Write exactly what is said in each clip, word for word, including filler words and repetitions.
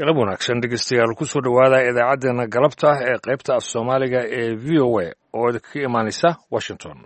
Galab wanaagsan, dhegeystayaal, kusoo dhowaada idaacaddeenna galabta ee qaybta af Soomaaliga ee V O A oo idinkaga imaanaysa Washington.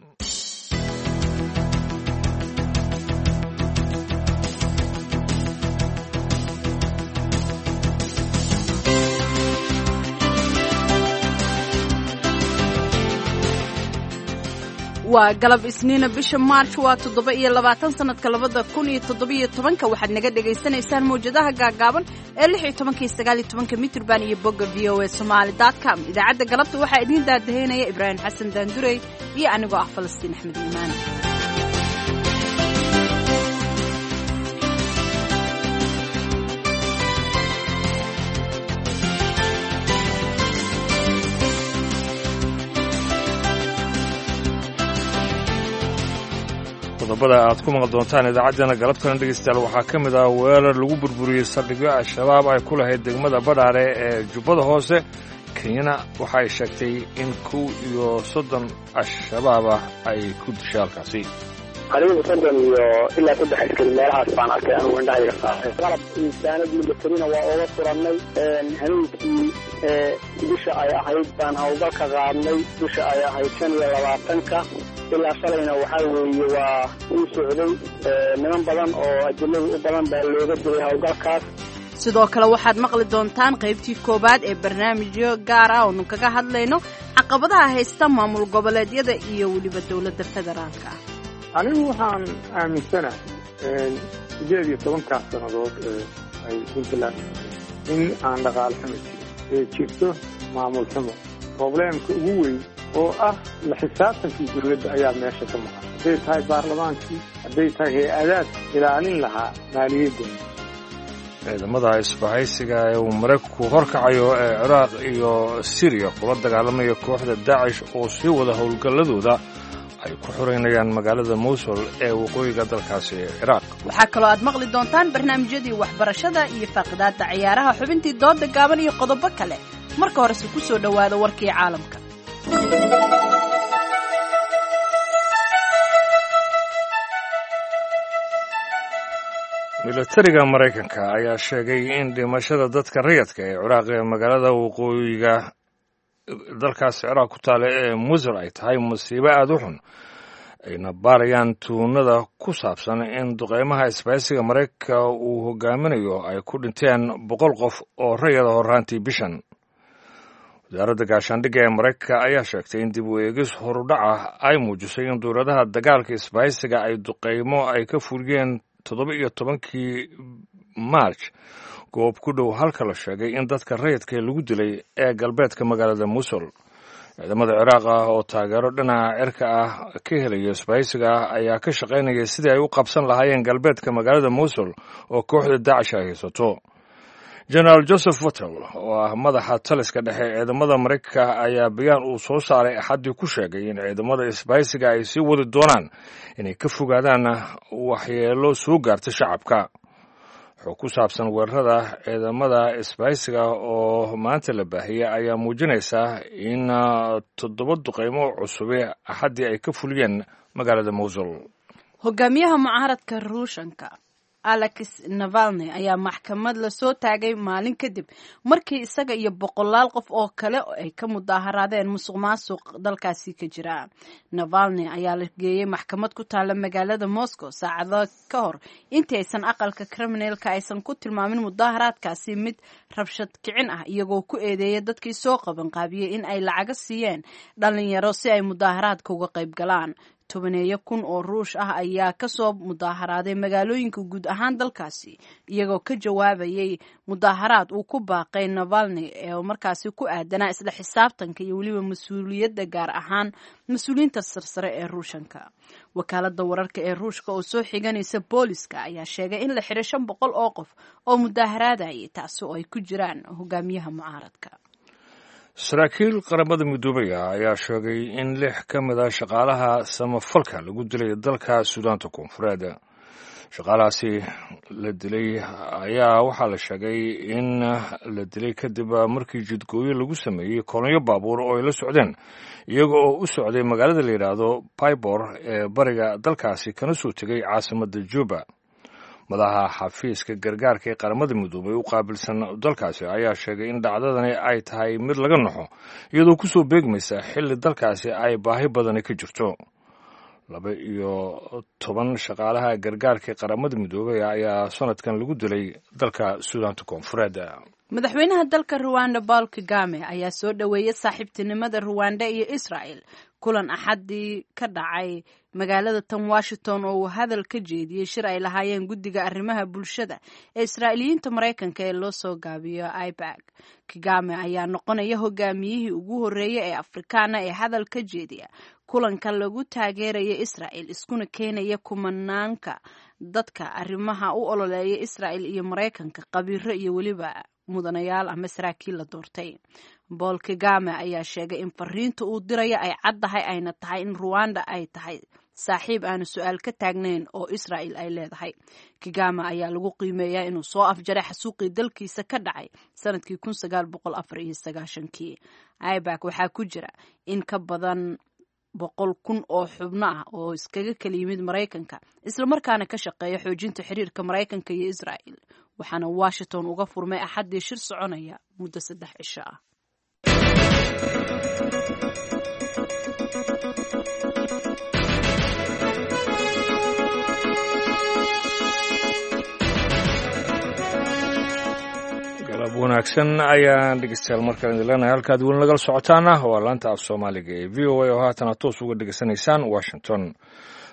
Waa galab Isniina, bisha Maarj waa toddoba iyo labaatan, sanadka labada kun iyo toddobiyo tobanka. Waxaad naga dhagaysanaysaan mawjadaha gaagaaban ee lix iyo tobanka iyo sagaal iyo tobanka mitrban iyo bogga V O A Somali dot com. Idaacadda galabta waxaa idiin daadaheynaya Ibraahim Xasan Daandurey iyo anigoo ah Falastiin Axmed Iimaan. Qodobada aad ku maqli doontaan idaacaddeenna galabtana, dhegeystayaal, waxaa ka mid ah weerar lagu burburiyey saldhigyo Al-Shabaab ay ku lahayd degmada Badhaare ee Jubbada Hoose. Kenyana waxa ay sheegtay in kow iyo soddon Al-Shabaab ah ay ku dishay halkaasi. Qaliibu soddon iyo ilaa saddex askari meelahaas baan arkay anugu, indhahayga saaray. Qalab insaanad milatarina waa oga furannay. Habeenkii bisha ay ahayd baan hawlgalka qaadnay, bisha ay ahayd shan iyo labaatanka. Ilaa shalayna waxaa weeye waa uu socday. Niman badan oo ajiladu u badan baa looga dilay hawlgalkaas. Sidoo kale waxaad maqli doontaan qaybtii koowaad ee barnaamijyo gaar ah oonu kaga hadlayno caqabadaha haysta maamul goboleedyada iyo weliba dowladda federaalka ah. Anigu waxaan aaminsanahay sideed iyo tobankaas sannadood ee ay Puntland in aan dhaqaale xumo jirin ee jirto maamul xumo. Probleemka ugu weyn oo ah la xisaabtankii dowladda ayaa meesha ka maqan, hadday tahay baarlamaankii, hadday tahay hay-adaad ilaalin lahaa maaliyadda. Ciidamada isbahaysiga ee uu Maraykanku horkacayo ee Ciraaq iyo Siriya kula dagaalamaya kooxda Daacish oo sii wada howlgalladooda ay ku xoreynayaan magaalada Mowsul ee waqooyiga dalkaasi Ciraaq. Waxaa kaloo aad maqli doontaan barnaamijyadii waxbarashada iyo faaqidaadda ciyaaraha, xubintii dooda gaaban iyo qodobo kale. Marka horese ku soo dhowaada warkii caalamka. Milatariga Maraykanka ayaa sheegay in dhimashada dadka rayadka ee Ciraaq ee magaalada waqooyiga dalkaas Ciraaq ku taale ee Musul ay tahay masiibo aada u xun, ayna baarayaan tuunada ku saabsan in duqeymaha isbahaysiga Maraykanka uu hogaaminayo ay ku dhinteen boqol qof oo rayada horraantii bishan. Wasaaradda gaashaandhigga ee Maraykanka ayaa sheegtay in dib u eegis horudhac ah ay muujisay in dowladaha dagaalka isbahaysiga ay duqeymo ay ka fuliyeen toddoba iyo tobankii Maarj goob ku dhow halka la sheegay in dadka rayidka lagu dilay ee galbeedka magaalada Musul. Ciidamada Ciraaq ah oo taageero dhinaca cirka ah ka helaya isbahaysiga ah ayaa ka shaqaynaya sidii ay u qabsan lahaayeen galbeedka magaalada Musul oo kooxda Daacish ay haysato. Genaraal Joseph Votel oo ah madaxa taliska dhexe ciidamada Maraykanka ayaa bayaan uu soo saaray Axaddii ku sheegay in ciidamada isbahaysiga ay sii wadi doonaan inay ka fogaadaan waxyeelo soo gaarta shacabka. Xog ku saabsan weerarada ciidamada isbahaysiga oo maanta la baahiyey ayaa muujinaysa in toddoba duqeymo cusube Axaddii ay ka fuliyeen magaalada Mowsul. Hogaamiyaha mucaaradka Ruushanka Alex Navalny ayaa maxkamad lasoo taagay maalin kadib markii isaga iyo boqolaal qof oo kale ay ka mudaaharaadeen musuq maasuq dalkaasi ka jira. Navalny ayaa la geeyey maxkamad ku taala magaalada Moscow saacado ka hor intii aysan aqalka Kremlinka aysan ku tilmaamin mudaaharaadkaasi mid rabshad kicin ah, iyagoo ku eedeeyay dadkii soo qabanqaabiyey in ay lacaga siiyeen dhalinyaro si ay mudaaharaadka uga qayb galaan. Tobaneeyo kun oo Ruush ah ayaa kasoo mudaaharaaday magaalooyinka guud ahaan dalkaasi, iyagoo ka jawaabayay mudaaharaad uu ku baaqay Navalny ee markaasi ku aadanaa isla xisaabtanka iyo weliba mas-uuliyadda, gaar ahaan mas-uuliyiinta sarsare ee Ruushanka. Wakaalada wararka ee Ruushka oo soo xiganaysa booliska ayaa sheegay in la xiray shan boqol oo qof oo mudaaharaadayay, taasi oo ay ku jiraan hogaamiyaha mucaaradka. Saraakiil Qaramada Midoobaya ayaa sheegay in lix ka mid a shaqaalaha samafalka lagu dilay dalka Suudaanta Koonfureed. Shaqaalahaasi la dilay ayaa waxaa la sheegay in la dilay kadib markii jidgooyo lagu sameeyey kolonyo baabuur oo ay la socdeen, iyaga oo u socday magaalada la yidhaahdo Pibor ee bariga dalkaasi, kana soo tegay caasimadda Juba. Madaxa xafiiska gargaarka ee Qaramada Midoobay u qaabilsan dalkaasi ayaa sheegay in dhacdadani ay tahay mid laga naxo, iyadoo ku soo beegmaysa xilli dalkaasi ay baahi badani ka jirto. Laba iyo toban shaqaalaha gargaarka ee Qaramada Midoobay ayaa sanadkan lagu dilay dalka Suudaanta Koonfureed. Madaxweynaha dalka Ruwanda Paul Kagame ayaa soo dhoweeyay saaxiibtinimada Ruwanda iyo Israel kulan Axadii ka dhacay magaalada tan Washington oo uu hadal ka jeediyey shir ay lahaayeen guddiga arrimaha bulshada ee Israa'iiliyiinta Maraykanka ee loo soo gaabiyo I P A C. Kagame ayaa noqonaya hogaamiyihii ugu horreeyay ee Afrikaana ee hadal ka jeediya kulanka lagu taageeraya Israel, iskuna keenaya kumanaanka dadka arrimaha u ololeeya Israel iyo Maraykanka, khabiiro iyo weliba mudanayaal ama saraakiil la doortay. Paul Kagame ayaa sheegay in fariinta uu diraya ay caddahay, ayna tahay in Ruwanda ay tahay saaxiib aanu su-aal ka taagnayn oo Israel ay leedahay. Kagame ayaa lagu qiimeeyaa inuu soo afjaray xasuuqii dalkiisa ka dhacay sanadkii kun sagaal boqol afar iyo sagaashankii. I P A C waxaa ku jira in ka badan boqol kun oo xubno ah oo iskaga kala yimid Maraykanka, islamarkaana ka shaqeeya xoojinta xiriirka Maraykanka iyo Israel, waxaana Washington uga furmay Axaddii shir soconaya muddo saddex cisho ah. Galab wanaagsan ayaan dhegeystayaal markale idin leenahay. Halkaad weli nagala socotaana waa laanta af Soomaaliga ee V O A oo haatana toos uga dhegeysanaysaan Washington.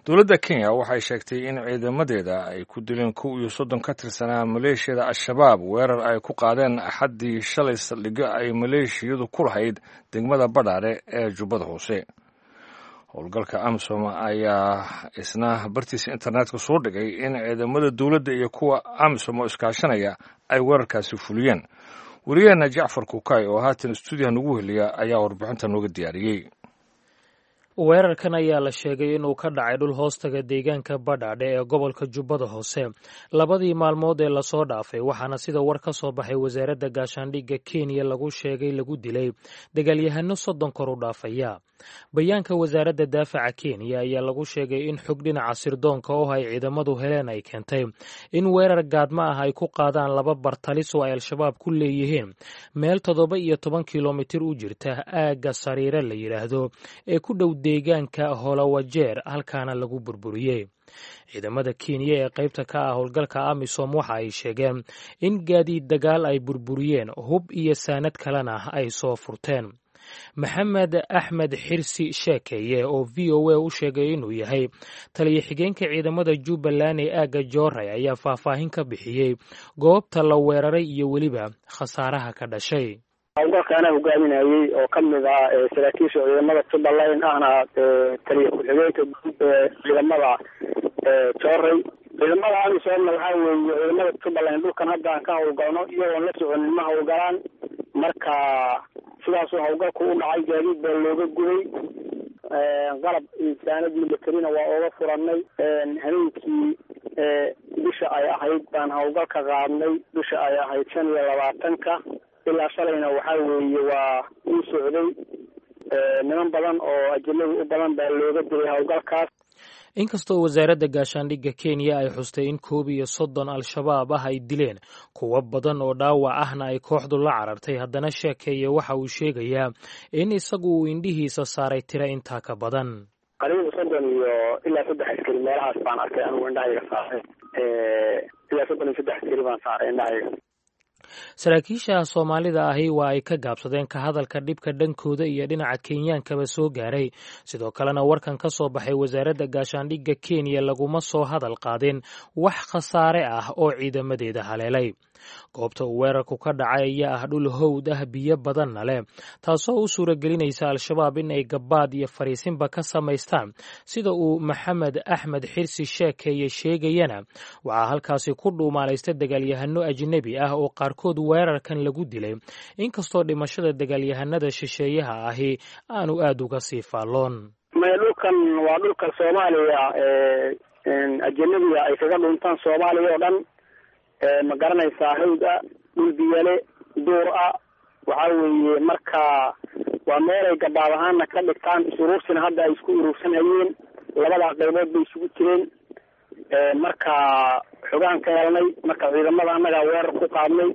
Dowladda Kenya waxay sheegtay in ciidamadeeda ay ku dileen kow iyo soddon ka tirsanaa maleeshiyada Al-Shabaab weerar ay ku qaadeen Axaddii shalay saldhigyo ay maleeshiyadu ku lahayd degmada Badhaare ee Jubbada Hoose. Howlgalka AMISOM ayaa isna bartiisa internetka soo dhigay in ciidamada dowladda iyo kuwa AMISOM oo iskaashanaya ay weerarkaasi fuliyeen. Wariyaheena Jacfar Kukay oo haatan stuudiyaha nagu heliya ayaa warbixinta nooga diyaariyey. Weerarkan ayaa la sheegay inuu ka dhacay dhul hoostaga deegaanka Badhaadhe ee gobolka Jubbada Hoose labadii maalmood ee lasoo dhaafay, waxaana sida war ka soo baxay wasaaradda gaashaandhigga Kenya lagu sheegay lagu dilay dagaalyahano soddon kor u dhaafaya. Bayaanka wasaaradda daafaca Kenya ayaa lagu sheegay in xog dhinaca sirdoonka oo ay ciidamadu heleen ay keentay in weerar gaadma ah ay ku qaadaan laba bartalis oo ay Al-Shabaab ku leeyihiin meel toddoba iyo toban kilomitir u jirta aagga Sariire la yidhaahdo ee ku dhow deegaanka Holawajeer, halkaana lagu burburiyey. Ciidamada Kenya ee qaybta ka ah howlgalka AMISOM waxa ay sheegeen in gaadiid dagaal ay burburiyeen, hub iyo saanad kalena ay soo furteen. Maxamed Axmed Xirsi Sheekeeye oo V O A u sheegay inuu yahay taliyo xigeenka ciidamada Jubbaland ee aagga Jooray ayaa faahfaahin ka bixiyey goobta la weeraray iyo weliba khasaaraha ka dhashay. Howlgalka anaa hogaaminayey oo ka mid ah saraakiisha ciidamada Jubbaland, ahna taliyo ku-xigeenka guud ee ciidamada Jooray. Ciidamada AMISOMna waxaa weeye ciidamada Jubbaland dhulkan hadda aan ka howlgalno iyagoon la soconin ma howlgalaan. Marka sidaasuu howlgalku u dhacay, gaadiid baa looga gubay, qalab saanad militarina waa ooga furanay. Habeenkii bisha ay ahayd baan howlgalka qaadnay, bisha ay ahayd shan iyo labaatanka, ilaa shalayna waxaa weeye waa uu socday. Niman badan oo ajanabi u badan baa looga dilay howlgalkaas. Inkastoo wasaaradda gaashaandhigga Kenya ay xustay in koob iyo soddon Al-Shabaab ah ay dileen, kuwo badan oo dhaawac ahna ay kooxdu la carartay, haddana Sheekeeye waxa uu sheegayaa in isagu uu indhihiisa saaray tiro intaa ka badan. Qariibu soddon iyo ilaa saddex askari meelahaas baan arkay anigu, indhahayga saaray. Ilaa soddon iyo saddex askari baan saaray indhahayga. Saraakiisha Soomaalida ahi waa ay ka gaabsadeen ka hadalka dhibka dhankooda iyo dhinaca Kenyaankaba soo gaaray. Sidoo kalena warkan ka soo baxay wasaaradda gaashaandhigga Kenya laguma soo hadal qaadin wax khasaare ah oo ciidamadeeda haleelay. Goobta uu weerarku ka dhacay ayaa ah dhul howd ah, biyo badanna leh, taasoo u suuragelinaysa Al-Shabaab in ay gabaad iyo fariisinba ka samaystaan. Sida uu Maxamed Axmed Xirsi Sheekeeye sheegayana, waxaa halkaasi ku dhuumaalaysta dagaalyahano ajnebi ah oo qaarkood weerarkan lagu dilay, inkastoo dhimashada dagaalyahanada shisheeyaha ahi aanu aad uga sii faalloon. Maya, dhulkan waa dhulka Soomaaliya ajanabiga ay kaga dhuntaan Soomaaliya oo dhan, ma garanaysaa? Hawd ah, dhul biyale, duur ah waxaa weeye. Marka waa meelay gabaab ahaana ka dhigtaan, is-uruursina hadda ay isku uruursanayeen. Labadaa qaybood bay isugu jireen. Marka Xogaan ka helnay, marka ciidamada annagaa weerar ku qaadnay.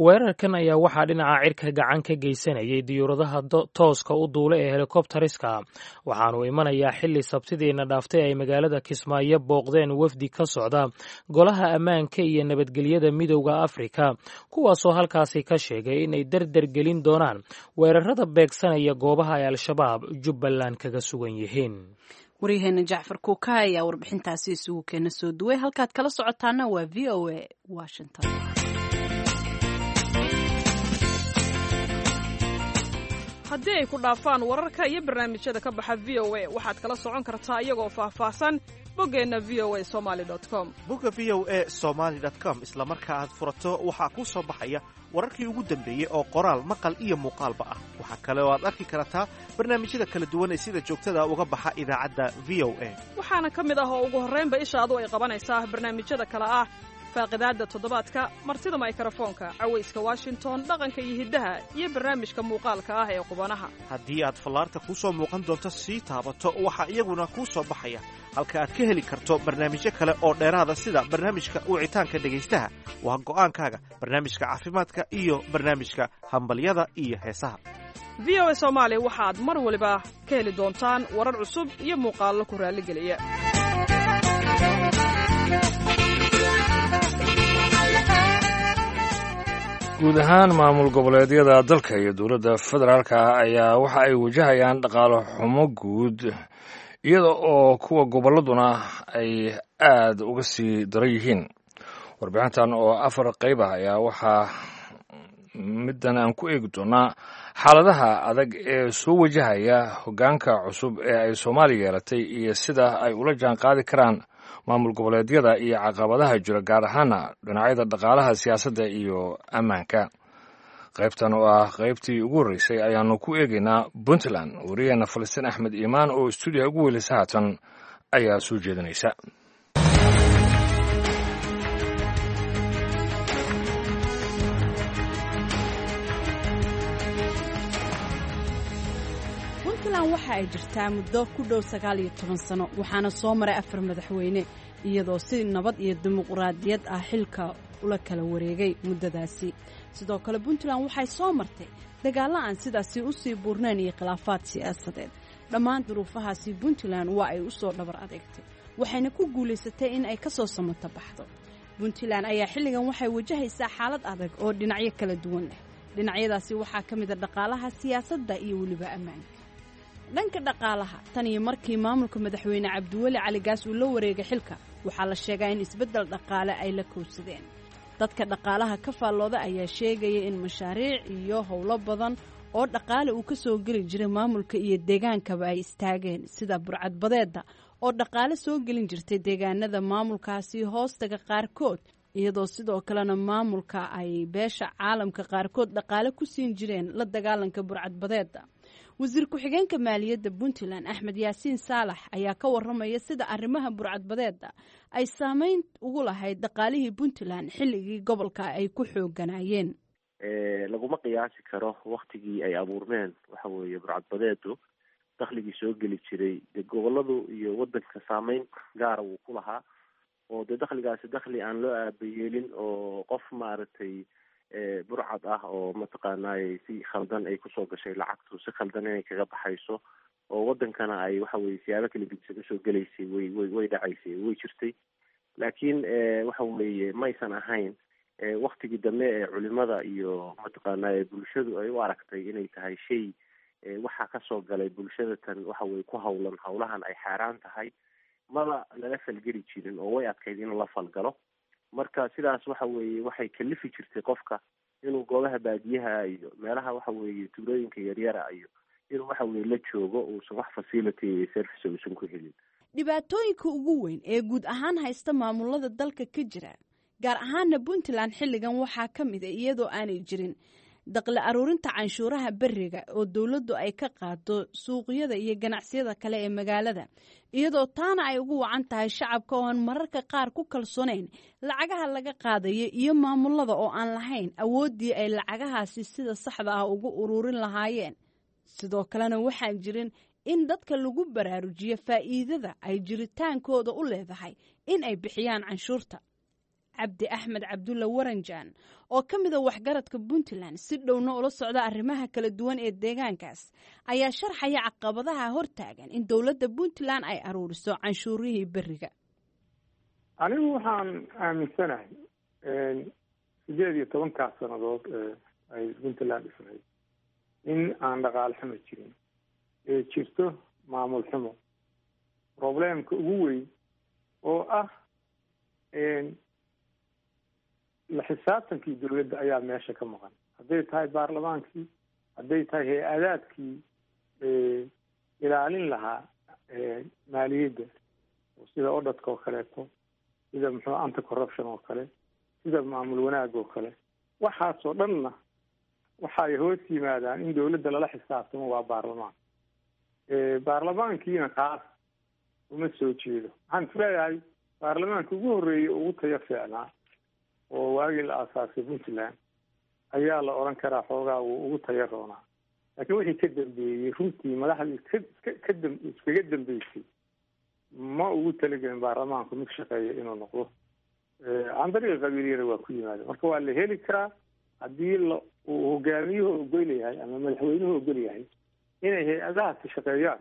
Weerarkan ayaa waxaa dhinaca cirka gacan ka geysanayay diyuuradaha tooska u duula ee helikobtariska. Waxaanu imanayaa xilli sabtidiina dhaaftay ay magaalada Kismaayo booqdeen wafdi ka socda Golaha Ammaanka iyo Nabadgelyada Midowda Afrika, kuwaasoo halkaasi ka sheegay inay dardar gelin doonaan weerarada beegsanaya goobaha ay Al-Shabaab Jubbaland kaga sugan yihiin. Waryaheena Jacfar Kuuka ayaa warbixintaasi isugu keena soo duway. Halkaad kala socotaana waa V O A Washington. Haddii ay ku dhaafaan wararka iyo barnaamijyada ka baxa V O A, waxaad kala socon kartaa iyagoo faahfaahsan boggeenna V O A Somali com. Bogga V O A Somaly com isla marka aad furato waxaa kuu soo baxaya wararkii ugu dambeeyey oo qoraal, maqal iyo muuqaalba ah. Waxaa kale oo aad arki kartaa barnaamijyada kala duwan ee sida joogtada uga baxa idaacadda V O A. Waxaana ka mid ah oo ugu horraynba ishaadu ay qabanaysaa barnaamijyada kale ah faaqidaadda toddobaadka, martida maykarafoonka, cawayska Washington, dhaqanka iyo hiddaha, iyo barnaamijka muuqaalka ah ee qubanaha. Haddii aad fallaarta kuu soo muuqan doonto sii taabato, waxaa iyaguna kuu soo baxaya halka aad ka heli karto barnaamijyo kale oo dheeraada, sida barnaamijka wicitaanka dhegaystaha, waa go'aankaaga, barnaamijka caafimaadka iyo barnaamijka hambalyada iyo heesaha. V O A Soomaali waxaad mar waliba ka heli doontaan warar cusub iyo muuqaallo ku raalligeliya. Guud ahaan maamul goboleedyada dalka iyo dowladda federaalka ayaa waxa ay wajahayaan dhaqaalo xumo guud, iyada oo kuwa gobolladuna ay aad uga sii daran yihiin. Warbixintan oo afar qayb ah ayaa waxaa middan aan ku eegi doonaa xaaladaha adag ee soo wajahaya hoggaanka cusub ee ay Soomaaliya yeelatay iyo sida ay ula jaan qaadi karaan maamul goboleedyada iyo caqabadaha jira, gaar ahaana dhinacyada dhaqaalaha, siyaasadda iyo ammaanka. Qaybtan oo ah qaybtii ugu horreysay ayaanu ku eegaynaa Puntland. Wariyaheena Falastiin Axmed Iimaan oo stuudiyaha ugu weylisa haatan ayaa soo jeedinaysa. Puntland waxa ay jirtaa muddo ku dhow sagaal iyo toban sano, waxaana soo maray afar madaxweyne, iyadoo si nabad iyo dimuqraadiyad ah xilka ula kala wareegay muddadaasi. Sidoo kale Puntland waxay soo martay dagaallo aan sidaasi u sii buurnayn iyo khilaafaad siyaasadeed. Dhammaan duruufahaasi Puntland waa ay u soo dhabar adeegtay, waxayna ku guulaysatay in ay ka soo samato baxdo. Puntland ayaa xilligan waxay wajahaysaa xaalad adag oo dhinacyo kala duwan leh. Dhinacyadaasi waxaa ka mid a dhaqaalaha, siyaasadda iyo weliba ammaanka. Dhanka dhaqaalaha, tan iyo markii maamulka madaxweyne Cabdiweli Cali Gaas uu la wareegay xilka, waxaa la sheegaa in isbeddel dhaqaale ay la kowsadeen. Dadka dhaqaalaha ka faallooda ayaa sheegaya in mashaariic iyo howlo badan oo dhaqaale uu ka soo geli jiray maamulka iyo deegaankaba ay istaageen, sida burcadbadeedda oo dhaqaale soo gelin jirtay deegaanada maamulkaasi hoostaga qaarkood, iyadoo sidoo kalena maamulka ay beesha caalamka qaarkood dhaqaale ku siin jireen la dagaalanka burcadbadeedda. Wasiir ku-xigeenka maaliyadda Puntland Axmed Yaasiin Saalax ayaa ka waramaya sida arrimaha burcadbadeedda ay saameyn ugu lahayd dhaqaalihii Puntland xilligii gobolka ay ku xooganaayeen. Laguma qiyaasi karo waktigii ay abuurmeen waxa weeye burcadbadeedu dakhligii soo geli jiray dee goboladu iyo wadanka saameyn gaara wuu ku lahaa, oo dee dakhligaasi dakhli aan loo aabayeelin oo qof maaragtay burcad ah oo mataqaanay si khaldan ay kusoo gashay lacagtu, si khaldan inay kaga baxayso oo wadankana ay waxa weye siyaabo kala gedisan usoo gelaysay way way way dhacaysay, way jirtay. Laakiin waxa weeye maysan ahayn waktigii dambe ee culimada iyo mataqaanay bulshadu ay u aragtay inay tahay shay waxaa kasoo galay bulshada tan waxa weye ku hawlan hawlahan ay xaaraan tahay, maba lala falgeli jirin oo way adkayd in la falgalo. Marka sidaas waxa weeye waxay kalifi jirtay qofka inuu goobaha baadiyaha iyo meelaha waxa weeye tuulooyinka yaryara iyo inuu waxa weye la joogo, uusan wax facility iyo service uusan ku helin. Dhibaatooyinka ugu weyn ee guud ahaan haysta maamulada dalka ka jira, gaar ahaana Puntland xilligan, waxaa ka mid a iyadoo aanay jirin daqli aruurinta canshuuraha beriga oo dowladdu ay ka qaado suuqyada iyo ganacsiyada kale ee magaalada, iyadoo taana ay ugu wacan tahay shacabka oo aan mararka qaar ku kalsoonayn lacagaha laga qaadayo iyo maamulada oo aan lahayn awooddii ay lacagahaasi sida saxda ah ugu ururin lahaayeen. Sidoo kalena waxaan jirin in dadka lagu baraarujiyo faa'iidada ay jiritaankooda u leedahay in ay bixiyaan canshuurta. Cabdi Axmed Cabdulla Waranjaan oo ka mida waxgaradka Puntland si dhowna ula socda arrimaha kala duwan ee deegaankaas ayaa sharxaya caqabadaha hortaagan in dowladda Puntland ay aruuriso canshuurihii beriga. Anigu waxaan aaminsanahay sideed iyo tobankaas sannadood ay Puntland dhisnayd in aan dhaqaale xumo jirin, ee jirto maamul xumo. Problemka ugu weyn oo ah la xisaabtankii dowladda ayaa meesha ka maqan, hadday tahay baarlamaankii, hadday tahay hay-adaadkii ilaalin lahaa maaliyadda, sida odhadka oo kaleeto, sida muxuu anti corruption oo kale, sida maamul wanaag oo kale. Waxaasoo dhanna waxay hoos yimaadaan in dowladda lala xisaabtamo waa baarlamaan. Baarlamaankiina kaas uma soo jeedo. Waxaan isleeyahay baarlamaanka ugu horreeyay ugu tayo fiicnaa oo waagii la aasaasay Puntland ayaa la odhan karaa xoogaa wuu ugu tayo roonaa, laakiin wixii ka dambeeyey runtii madaxdii ka kadam iskaga dambeysay ma ugu talagelin baarlamaanku mid shaqeeya inuu noqdo. Can dariiqa qabiiliyana waa ku yimaada. Marka waa la heli karaa haddii la uu hogaamiyuhu ogol yahay ama madaxweynuhu ogol yahay inay hay-adahaasi shaqeeyaan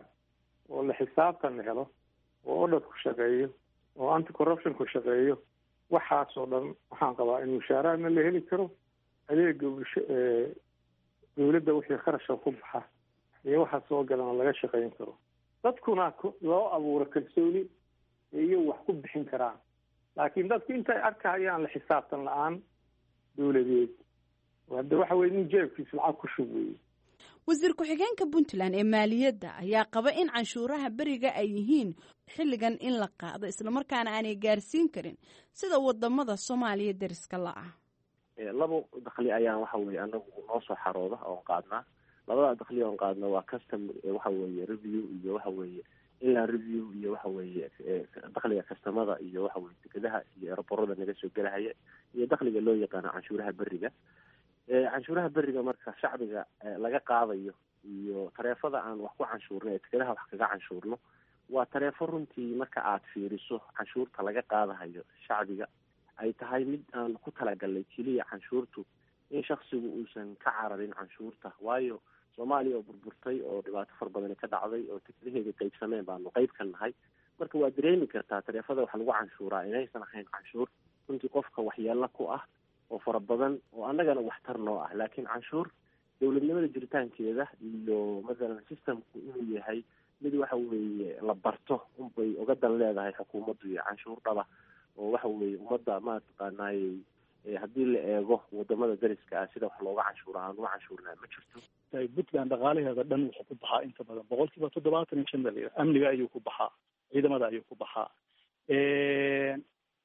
oo la xisaabtan la helo oo odhadku shaqeeyo oo anti corruptionku shaqeeyo. Waxaasoo dhan waxaan qabaa in mushaaraadna la heli karo, adeega bulsho dowladda wixii kharasha ku baxa iyo waxa soo galana laga shaqeyn karo, dadkuna loo abuuro kalsooni iyo wax ku bixin karaan. Laakiin dadku intay arkahayaan la xisaabtan la-aan dowladeed, hadda waxa weye nin jeebkiisa lacag ku shub weeye. Wasiir ku-xigeenka Puntland ee maaliyadda ayaa qaba in canshuuraha beriga ay yihiin xilligan in la qaado, islamarkaana aanay gaarsiin karin sida wadamada Soomaaliya deriska la-ah. Labo dakhli ayaan waxa weye anagu noo soo xarooda oon qaadnaa. Labada dakhli oon qaadna waa custom waxa weeye review iyo waxa weeye inland review iyo waxa weeye dakhliga kastamada iyo waxa weye dekedaha iyo eroborada naga soo gelahaya iyo dakhliga loo yaqaano canshuuraha beriga. Canshuuraha beriga marka shacbiga laga qaadayo iyo tareefada aan wax ku canshuurno ee dekedaha wax kaga canshuurno waa tareefo runtii marka aad fiiriso canshuurta laga qaadahayo shacbiga ay tahay mid aan ku talagalnay keliya canshuurtu in shaksigu uusan ka cararin canshuurta. Waayo Soomaaliya oo burburtay oo dhibaato fara badani ka dhacday oo tekadaheeda qaybsameen baanu qayb ka nahay. Marka waa dareemi kartaa tareefada wax lagu canshuuraa inaysan ahayn canshuur runtii qofka waxyeelo ku ah oo fara badan oo annagana waxtar noo ah, laakiin canshuur dowladnimada jiritaankeeda iyo mathalan systemku inuu yahay mid waxa weeye la barto unbay uga dan leedahay xukuumaddu iyo canshuur dhaba oo waxa weeye ummadda mataqaanaayey haddii la eego wadamada dariska ah sida wax looga canshuura aan uga canshuurnaa ma jirto. Puntland dhaqaalaheeda dhan wuxuu ku baxaa inta badan boqolkiiba toddobaatan iyo shan bal amniga ayuu ku baxaa, ciidamada ayuu ku baxaa.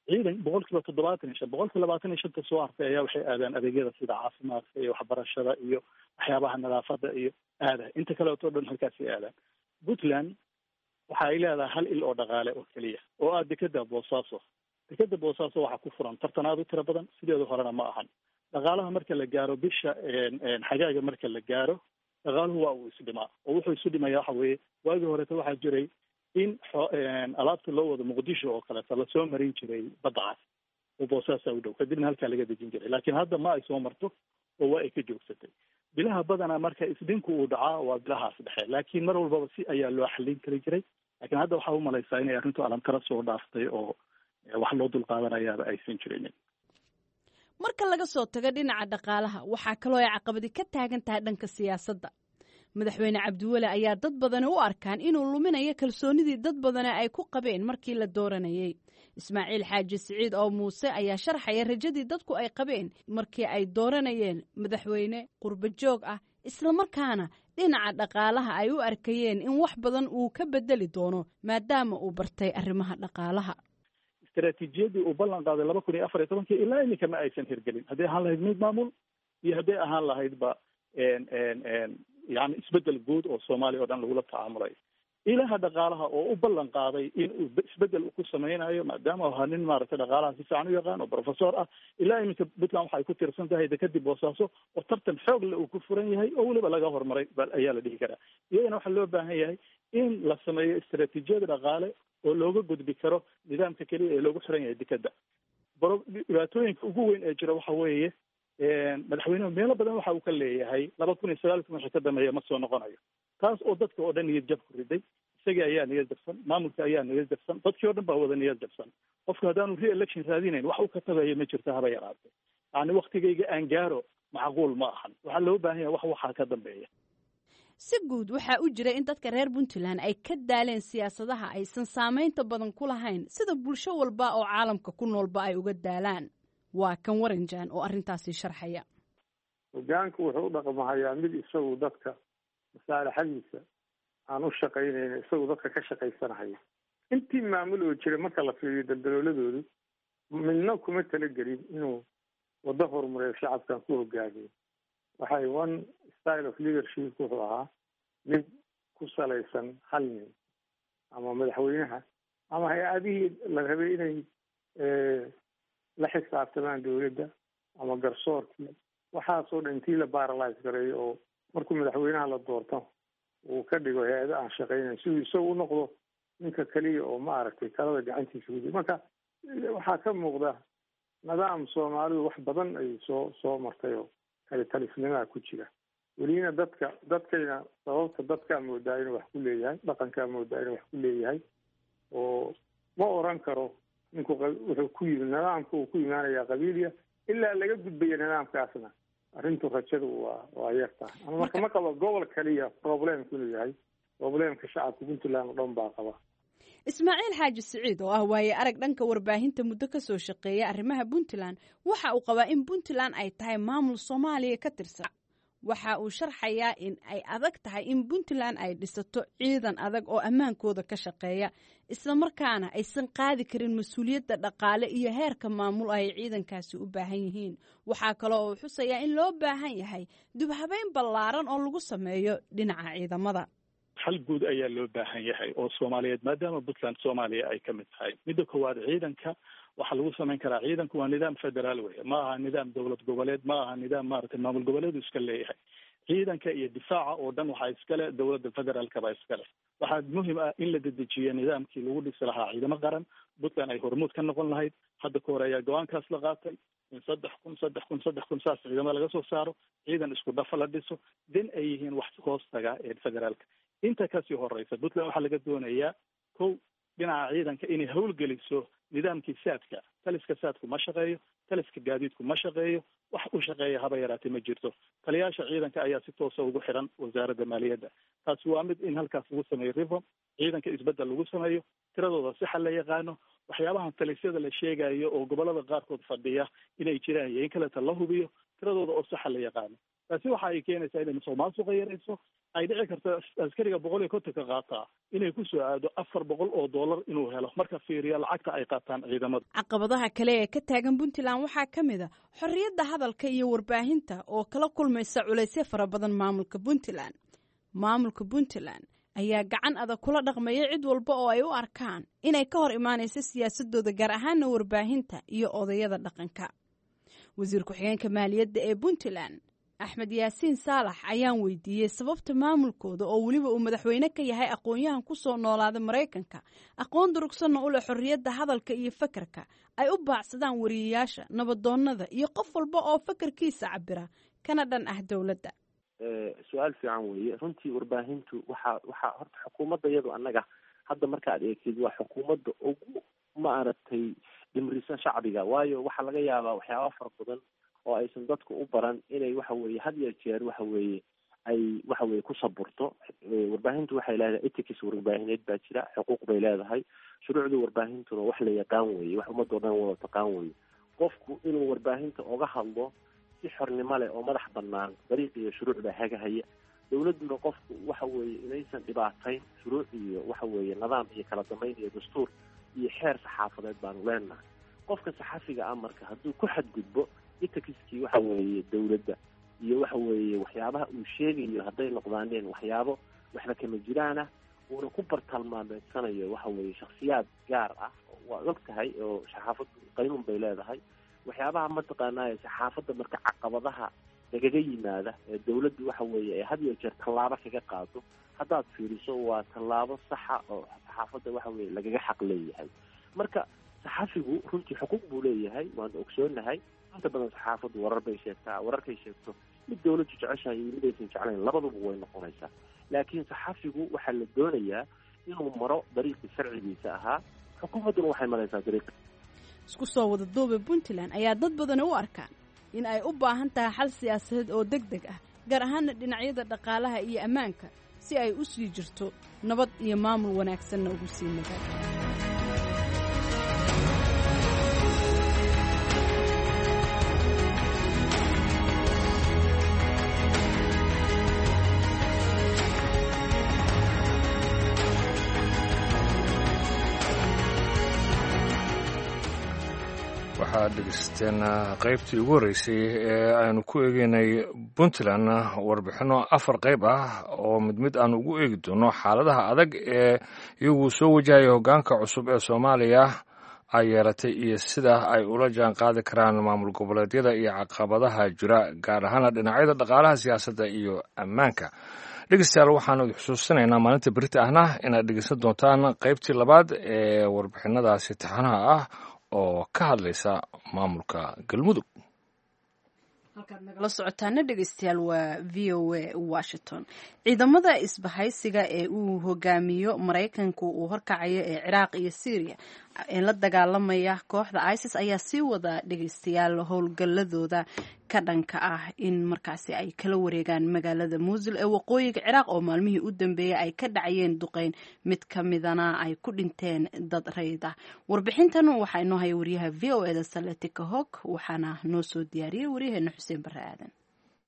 Ciidan boqolkiiba toddobaatan iyo shan, boqolkiiba labaatan iyo shanta soo hartay ayaa waxay aadaan adeegyada sida caafimaadka iyo waxbarashada iyo waxyaabaha nadaafada iyo aada inta kaleeto dhan halkaasay aadaan. Puntland waxa ay leedahay hal il oo dhaqaale oo keliya oo ah dekeda Boosaaso. Dekeda Boosaaso waxaa ku furan tartan aada u tiro badan, sideeda horena ma ahan. Dhaqaalaha marka la gaaro bisha xagaaga marka la gaaro dhaqaaluhu waa uu isdhimaa oo wuxuu isu dhimaya waxa weeye waagii horeeta waxaa jiray in alaabta loo wado Muqdisho oo kaleeta lasoo marin jiray badda cas oo Boosaasaa u dhow, kadibna halkaa laga dejin jiray, laakiin hadda ma ay soo marto oo waa ay ka joogsatay. Bilaha badanaa marka isdhinku uu dhacaa waa bilahaas dhexe, laakiin mar walbaba si ayaa loo xallin kari jiray. Laakiin hadda waxaa umalaysaa inay arrintu alamtara soo dhaaftay oo wax loo dulqaadanayaaba aysan jirinin. Marka laga soo tago dhinaca dhaqaalaha, waxaa kaloo ay caqabadi ka taagan tahay dhanka siyaasadda. Madaxweyne Cabdiweli ayaa dad badani u arkaan inuu luminayo kalsoonidii dad badani ay ku qabeen markii la dooranayey. Ismaaciil Xaaji Siciid oo Muuse ayaa sharxaya rajadii dadku ay qabeen markii ay dooranayeen madaxweyne qurbo joog ah, islamarkaana dhinaca dhaqaalaha ay u arkayeen in wax badan uu ka bedeli doono maadaama uu bartay arrimaha dhaqaalaha. Istaraatiijiyadii uu ballan qaaday laba kun iyo afar iyo tobankii ilaa iminka ma aysan hirgelin, hadday ahaan lahayd mid maamul iyo hadday ahaan lahaydba yani isbedel guud oo Soomaaliya oo dhan lagula tacaamulayo. Ilaha dhaqaalaha oo u ballan qaaday in uu isbedel ku sameynayo, maadaama ahaa nin maaragtay dhaqaalaha si fiican u yaqaan oo professor ah, ilaa iminka Puntland waxay ku tiirsan tahay dekadii Boosaaso oo tartan xoog le uu ku furan yahay oo weliba laga horumaray ayaa la dhihi karaa. Iyadana waxaa loo baahan yahay in la sameeyo istaraatiijiyad dhaqaale oo looga gudbi karo nidaamka keliya ee loogu xiran yahay dekada. Dhibaatooyinka ugu weyn ee jira waxa weeye madaxweynuhu meelo badan waxa uu ka leeyahay laba kun iyo sagaalkii wixii ka dambeeya ma soo noqonayo, taas oo dadka oo dhan niyad jab ku riday. Isagii ayaa niyad jabsan, maamulka ayaa niyad jabsan, dadkii oo dhan baa wada niyad jabsan. Qofku haddaanu re-election raadinayn wax uu ka tagayo ma jirto haba yaraatee. Yacni waktigayga aan gaaro macquul ma ahan, waxaa loo baahan yahay wax waxaa ka dambeeya. Si guud waxaa u jira in dadka reer Puntland ay ka daaleen siyaasadaha aysan saamaynta badan ku lahayn, sida bulsho walba oo caalamka ku noolba ay uga daalaan. Waa kan Waranjaan oo arrintaasi sharxaya. Hogaanku wuxuu u dhaqmahayaa mid isagu dadka masaalaxadiisa aan u shaqaynayna, isagu dadka ka shaqaysanahaya. Intii maamul oo jiray marka la fiiriyo daldalooladoodu midna kuma talagelin inuu waddo horumareeyo shacabkan ku hogaamiyo. Waxay one style of leadership wuxuu ahaa mid ku salaysan hal nin ama madaxweynaha ama hay-adihii la rabay inay la xisaabtamaan dowladda ama garsoorkii, waxaasoo dhan intii la paralyze gareeyo oo markuu madaxweynaha la doorto uu ka dhigo hay-ado aan shaqaynayn siduu isagu u noqdo ninka keliya oo maaragtay talada gacantiisa ku jira. Marka waxaa ka muuqda nidaam Soomaalidu wax badan ay soo soo martay oo kale talisnimaa ku jira welina. Dadka dadkayna sababta dadkaa moodaa inuu wax ku leeyahay, dhaqankaa moodaa inuu wax ku leeyahay, oo ma oran karo ninku wuxuu ku yimi nidaamka uu ku imaanayaa qabiiliya ilaa laga gudbaya nidaamkaasna arrintu rajadu waa waa yar tahay. Ama marka ma qabo gobol kaliya problemku inuu yahay problemka shacabka Puntland oo dhan baa qaba. Ismaaciil Xaaji Siciid oo ah waaye arag dhanka warbaahinta muddo ka soo shaqeeya arrimaha Puntland waxa uu qabaa in Puntland ay tahay maamul Soomaaliya ka tirsan. Waxa uu sharxayaa in ay adag tahay in Puntland ay dhisato ciidan adag oo ammaankooda ka shaqeeya, islamarkaana aysan qaadi karin mas-uuliyadda dhaqaale iyo heerka maamul ay ciidankaasi u baahan yihiin. Waxaa kaloo uu xusayaa in loo baahan yahay dubhabeyn ballaaran oo lagu sameeyo dhinaca ciidamada. Xal guud ayaa loo baahan yahay oo Soomaaliyeed, maadaama Puntland Soomaaliya ay ka mid tahay. Midda koowaad, ciidanka waxaa lagu samayn karaa, ciidanku waa nidaam federaal wey, ma aha nidaam dowlad goboleed, ma aha nidaam maaragtay maamul goboleedu iska leeyahay. Ciidanka iyo difaaca oo dhan waxaa iskale dowladda federaalka baa iskale. Waxaa muhim ah in la dedejiyo nidaamkii lagu dhisi lahaa ciidamo qaran, Puntland ay hormuud ka noqon lahayd. Hadda ka hor ayaa go-aankaas la qaatay in saddex kun saddex kun saddex kun saas ciidamo laga soo saaro, ciidan isku dhafa la dhiso, din ay yihiin wax hoos taga ee federaalka. Inta kasii horeysa Puntland waxaa laga doonayaa kow dhinaca ciidanka inay howlgeliso nidaamkii saadka. Taliska saadku ma shaqeeyo, taliska gaadiidku ma shaqeeyo, wax u shaqeeya haba yaraatee ma jirto. Taliyaasha ciidanka ayaa si toosa ugu xiran wasaaradda maaliyadda. Taasi waa mid in halkaas lagu sameeyo reform, ciidanka isbeddel lagu sameeyo, tiradooda si xal la yaqaano, waxyaabahan talisyada la sheegayo oo gobolada qaarkood fadhiya inay jiraan iyo in kaleta la hubiyo tiradooda oo saxa la yaqaano. Taasi waxa ay keenaysaa inay musuq maasuqa yarayso. Ay dhici karto askariga boqol iyo kontonka qaataa inay ku soo aado afar boqol oo dollar inuu helo marka fiiriya lacagta ay qaataan ciidamada. Caqabadaha kale ee ka taagan Puntland waxaa ka mid a xorriyadda hadalka iyo warbaahinta oo kala kulmaysa culaysyo fara badan maamulka Puntland. Maamulka Puntland ayaa gacan adag kula dhaqmaya cid walba oo ay u arkaan inay ka hor imaanayso siyaasadooda, gaar ahaana warbaahinta iyo odayada dhaqanka. Wasiir ku-xigeenka maaliyadda ee Puntland Axmed Yaasiin Saalax ayaan weydiiyey sababta maamulkooda oo weliba uu madaxweyne ka yahay aqoon-yahan ku soo noolaada Maraykanka, aqoon durugsanna u leh xorriyadda hadalka iyo fakarka, ay u baacsadaan wariyeyaasha, nabadoonnada iyo qof walba oo fakarkiisa cabira kana dhan ah dowladda. Su-aal fiican weeye. Runtii warbaahintu waxaa waxaa horta xukuumadda iyadu annaga hadda marka aad eegtid waa xukuumadda ugu maaragtay dhimrisan shacbiga, waayo waxaa laga yaabaa waxyaaba fara badan oo aysan dadku u baran inay waxa weeye had iyo jeer waxa weeye ay waxa weeye ku saburto. Warbaahintu waxay leedahay ethics warbaahineed baa jira, xuquuq bay leedahay, shuruucda warbaahintuna wax la yaqaan weeye, wax ummadoo dhan wada taqaan weeye. Qofku inuu warbaahinta oga hadlo si xornimo leh oo madax banaan, dariiq iyo shuruuc baa hagahaya. Dowladduna qofku waxa weeye inaysan dhibaatayn, shuruuc iyo waxa weeye nidaam iyo kala dambeyn iyo dastuur iyo xeer saxaafadeed baanu leenahay. Qofka saxafiga ah marka hadduu ku xadgudbo itakiskii waxa weeye dowladda iyo waxa weeye waxyaabaha uu sheegayo hadday noqdaaneen waxyaabo waxba kama jiraan ah Uuna ku bartilmaameedsanayo waxa weeye shaksiyaad gaar ah. Waad og tahay oo saxaafaddu qaynuun bay leedahay. Waxyaabaha mataqaanaa saxaafadda marka caqabadaha lagaga yimaada ee dawladdu waxa weeye ay had iyo jeer tallaabo kaga qaado, haddaad fiiriso waa tallaabo saxa oo saxaafadda waxa weeye lagaga xaq leeyahay. Marka saxafigu runtii xuquuq buu leeyahay, waanu ogsoonahay. Inta badan saxaafaddu warar bay sheegtaa, wararkay sheegto mid dawladdu jeceshahay iyo mid aysan jeclayn labaduba way noqonaysaa. Laakiin saxafigu waxaa la doonayaa inuu maro dariiqii sharcigiisa ahaa, xukuumadduna waxay maraysaa dariiqi. Isku soo wada duuba, Puntland ayaa dad badani u arkaan in ay u baahan tahay xal siyaasadeed oo deg deg ah, gaar ahaana dhinacyada dhaqaalaha iyo ammaanka, si ay u sii jirto nabad iyo maamul wanaagsanna ugu sii nagaan. Waxaad dhegeysteen qaybtii ugu horreysay ee aynu ku eegeynay Puntland, warbixinno afar qayb ah oo mid mid aanu ugu eegi doono xaaladaha adag ee iyagu soo wajahaya hoggaanka cusub ee Soomaaliya ay yeelatay iyo sida ay ula jaan qaadi karaan maamul goboleedyada iyo caqabadaha jira, gaar ahaana dhinacyada dhaqaalaha, siyaasadda iyo ammaanka. Dhegeystayaal, waxaanu idin xusuusinaynaa maalinta berita ahna inaad dhegeysan doontaan qaybtii labaad ee warbixinadaasi taxanaha ah oo ka hadlaysa maamulka Galmudug. Halkaad nagala socotaana dhegeystayaal waa V O A Washington. Ciidamada isbahaysiga ee uu hogaamiyo Maraykanku uu horkacayo ee Ciraaq iyo Syria ee la dagaalamaya kooxda ISIS ayaa sii wada, dhegeystayaal, howlgalladooda ka dhanka ah in markaasi ay kala wareegaan magaalada Muusul ee waqooyiga Ciraaq, oo maalmihii u dambeeyey ay ka dhacayeen duqeyn, mid ka midana ay ku dhinteen dad rayid ah. Warbixintan waxaa inoo haya wariyaha V O eda Saletika Hog, waxaana noo soo diyaariyey waryaheena Xuseen Barre Aadan.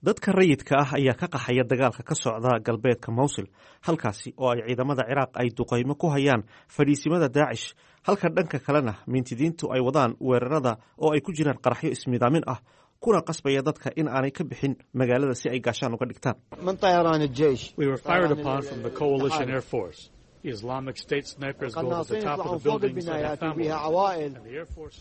Dadka rayidka ah ayaa ka qaxaya dagaalka ka socda galbeedka Mowsil, halkaasi oo ay ciidamada Ciraaq ay duqaymo ku hayaan fadhiisimada Daacish, halka dhanka kalena mintidiintu ay wadaan weerarada oo ay ku jiraan qaraxyo ismidaamin ah, kuna qasbaya dadka in aanay ka bixin magaalada si ay gaashaan uga dhigtaan.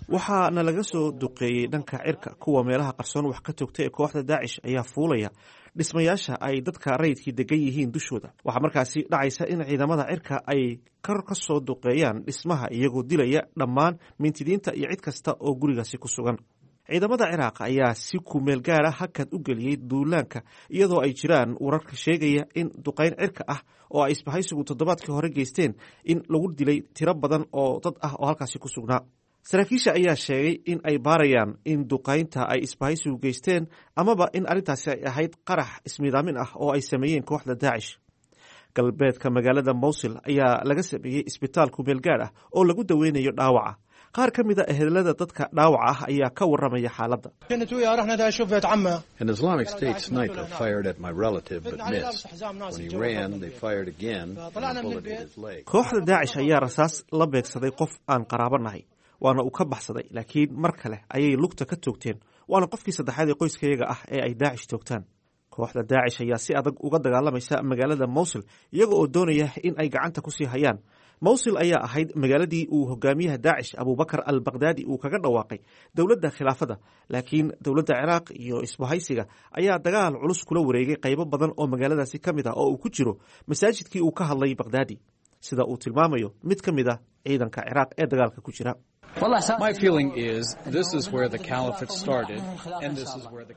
Waxaana laga soo duqeeyey dhanka cirka. Kuwa meelaha qarsoon wax ka toogta ee kooxda Daacish ayaa fuulaya dhismayaasha ay dadka rayidkii degan yihiin dushooda. Waxaa markaasi dhacaysa in ciidamada cirka ay kor ka soo duqeeyaan dhismaha, iyagoo dilaya dhammaan mintidiinta iyo cid kasta oo gurigaasi ku sugan. Ciidamada Ciraaq ayaa si kumeel gaara hakad u geliyey duulaanka, iyadoo ay jiraan wararka sheegaya in duqayn cirka ah oo ay isbahaysigu toddobaadkii hore geysteen in lagu dilay tiro badan oo dad ah oo halkaasi ku sugnaa. Saraakiisha ayaa sheegay in ay baarayaan in duqaynta ay isbahaysigu geysteen amaba in arrintaasi ay ahayd qarax ismidaamin ah oo ay sameeyeen kooxda Daacish. Galbeedka magaalada Mowsil ayaa laga sameeyey isbitaal kumeel gaar ah oo lagu daweynayo dhaawaca. Qaar ka mid a ehelada dadka dhaawaca ah ayaa ka warramaya xaaladda. An Islamic State sniper fired at my relative but missed. When he ran, they fired again and a bullet hit his leg. Kooxda Daacish ayaa rasaas la beegsaday qof aan qaraabo nahay, waana uu ka baxsaday, laakiin mar kale ayay lugta ka toogteen, waana qofkii saddexaad ee qoyskayaga ah ee ay Daacish toogtaan. Kooxda Daacish ayaa si adag uga dagaalamaysa magaalada Mowsil, iyaga oo doonaya in ay gacanta kusii hayaan. Mowsil ayaa ahayd magaaladii uu hogaamiyaha Daacish Abubakar al Baghdadi uu kaga dhawaaqay dowladda khilaafada, laakiin dowladda Ciraaq iyo isbahaysiga ayaa dagaal culus kula wareegay qaybo badan oo magaaladaasi ka mid ah, oo uu ku jiro masaajidkii uu ka hadlay Baghdadi, sida uu tilmaamayo mid ka mid ah ciidanka Ciraaq ee dagaalka ku jira.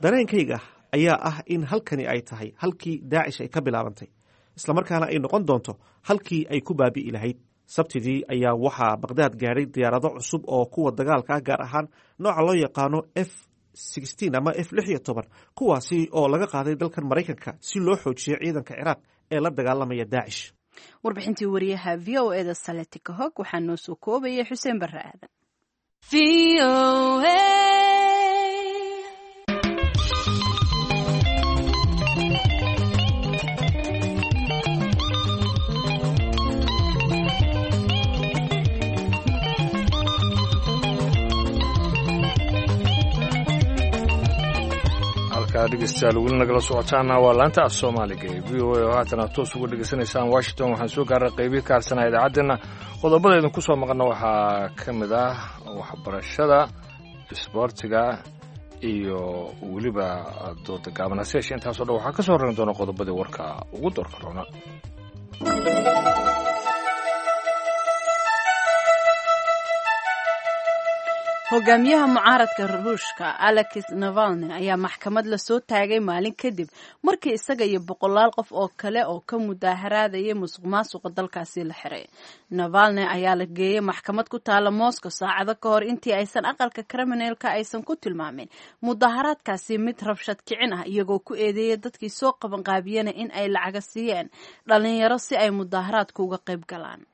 Dareenkayga ayaa ah in halkani ay tahay halkii Daacish ay ka bilaabantay, islamarkaana ay noqon doonto halkii ay ku baabi'i lahayd. Sabtidii ayaa waxaa Baqhdaad gaadhay diyaarado cusub oo kuwa dagaalka ah, gaar ahaan nooca loo yaqaano F ama F lix iyo toban, kuwaasi oo laga qaaday dalkan Maraykanka si loo xoojiyo ciidanka Ciraaq ee la dagaalamaya Daacish. Warbixintii wariyaha V O eda Saletika Hog waxaa noo soo koobayay Xuseen Barre Aadan. Halkaad Halka dhegeystayaal weli nagala socotaana waa laanta af soomaaliga ee V O A oo haatan aad toos uga dhegeysanaysaan Washington. Waxaan soo gaaray qeybii ka harsanaa idaacaddeenna. Qodobada idinku soo maqana waxaa ka mid ah waxbarashada, isboortiga iyo weliba dooda gaaban. Hase yeeshee intaasoo dhan waxaa ka soo horreyn doona qodobadii warka ugu doorka roona. Hogaamiyaha mucaaradka Ruushka Alex Navalny ayaa maxkamad lasoo taagay maalin kadib markii isaga iyo boqolaal qof oo kale oo ka mudaaharaadayay musuq maasuqa dalkaasi la xiray. Navalny ayaa la geeyey maxkamad ku taala Moscow saacado ka hor intii aysan aqalka kriminalka aysan ku tilmaamin mudaharaadkaasi mid rabshad kicin ah, iyagoo ku eedeeyay dadkii soo qabanqaabiyana in ay lacaga siiyeen dhalinyaro si ay mudaharaadka uga qayb galaan.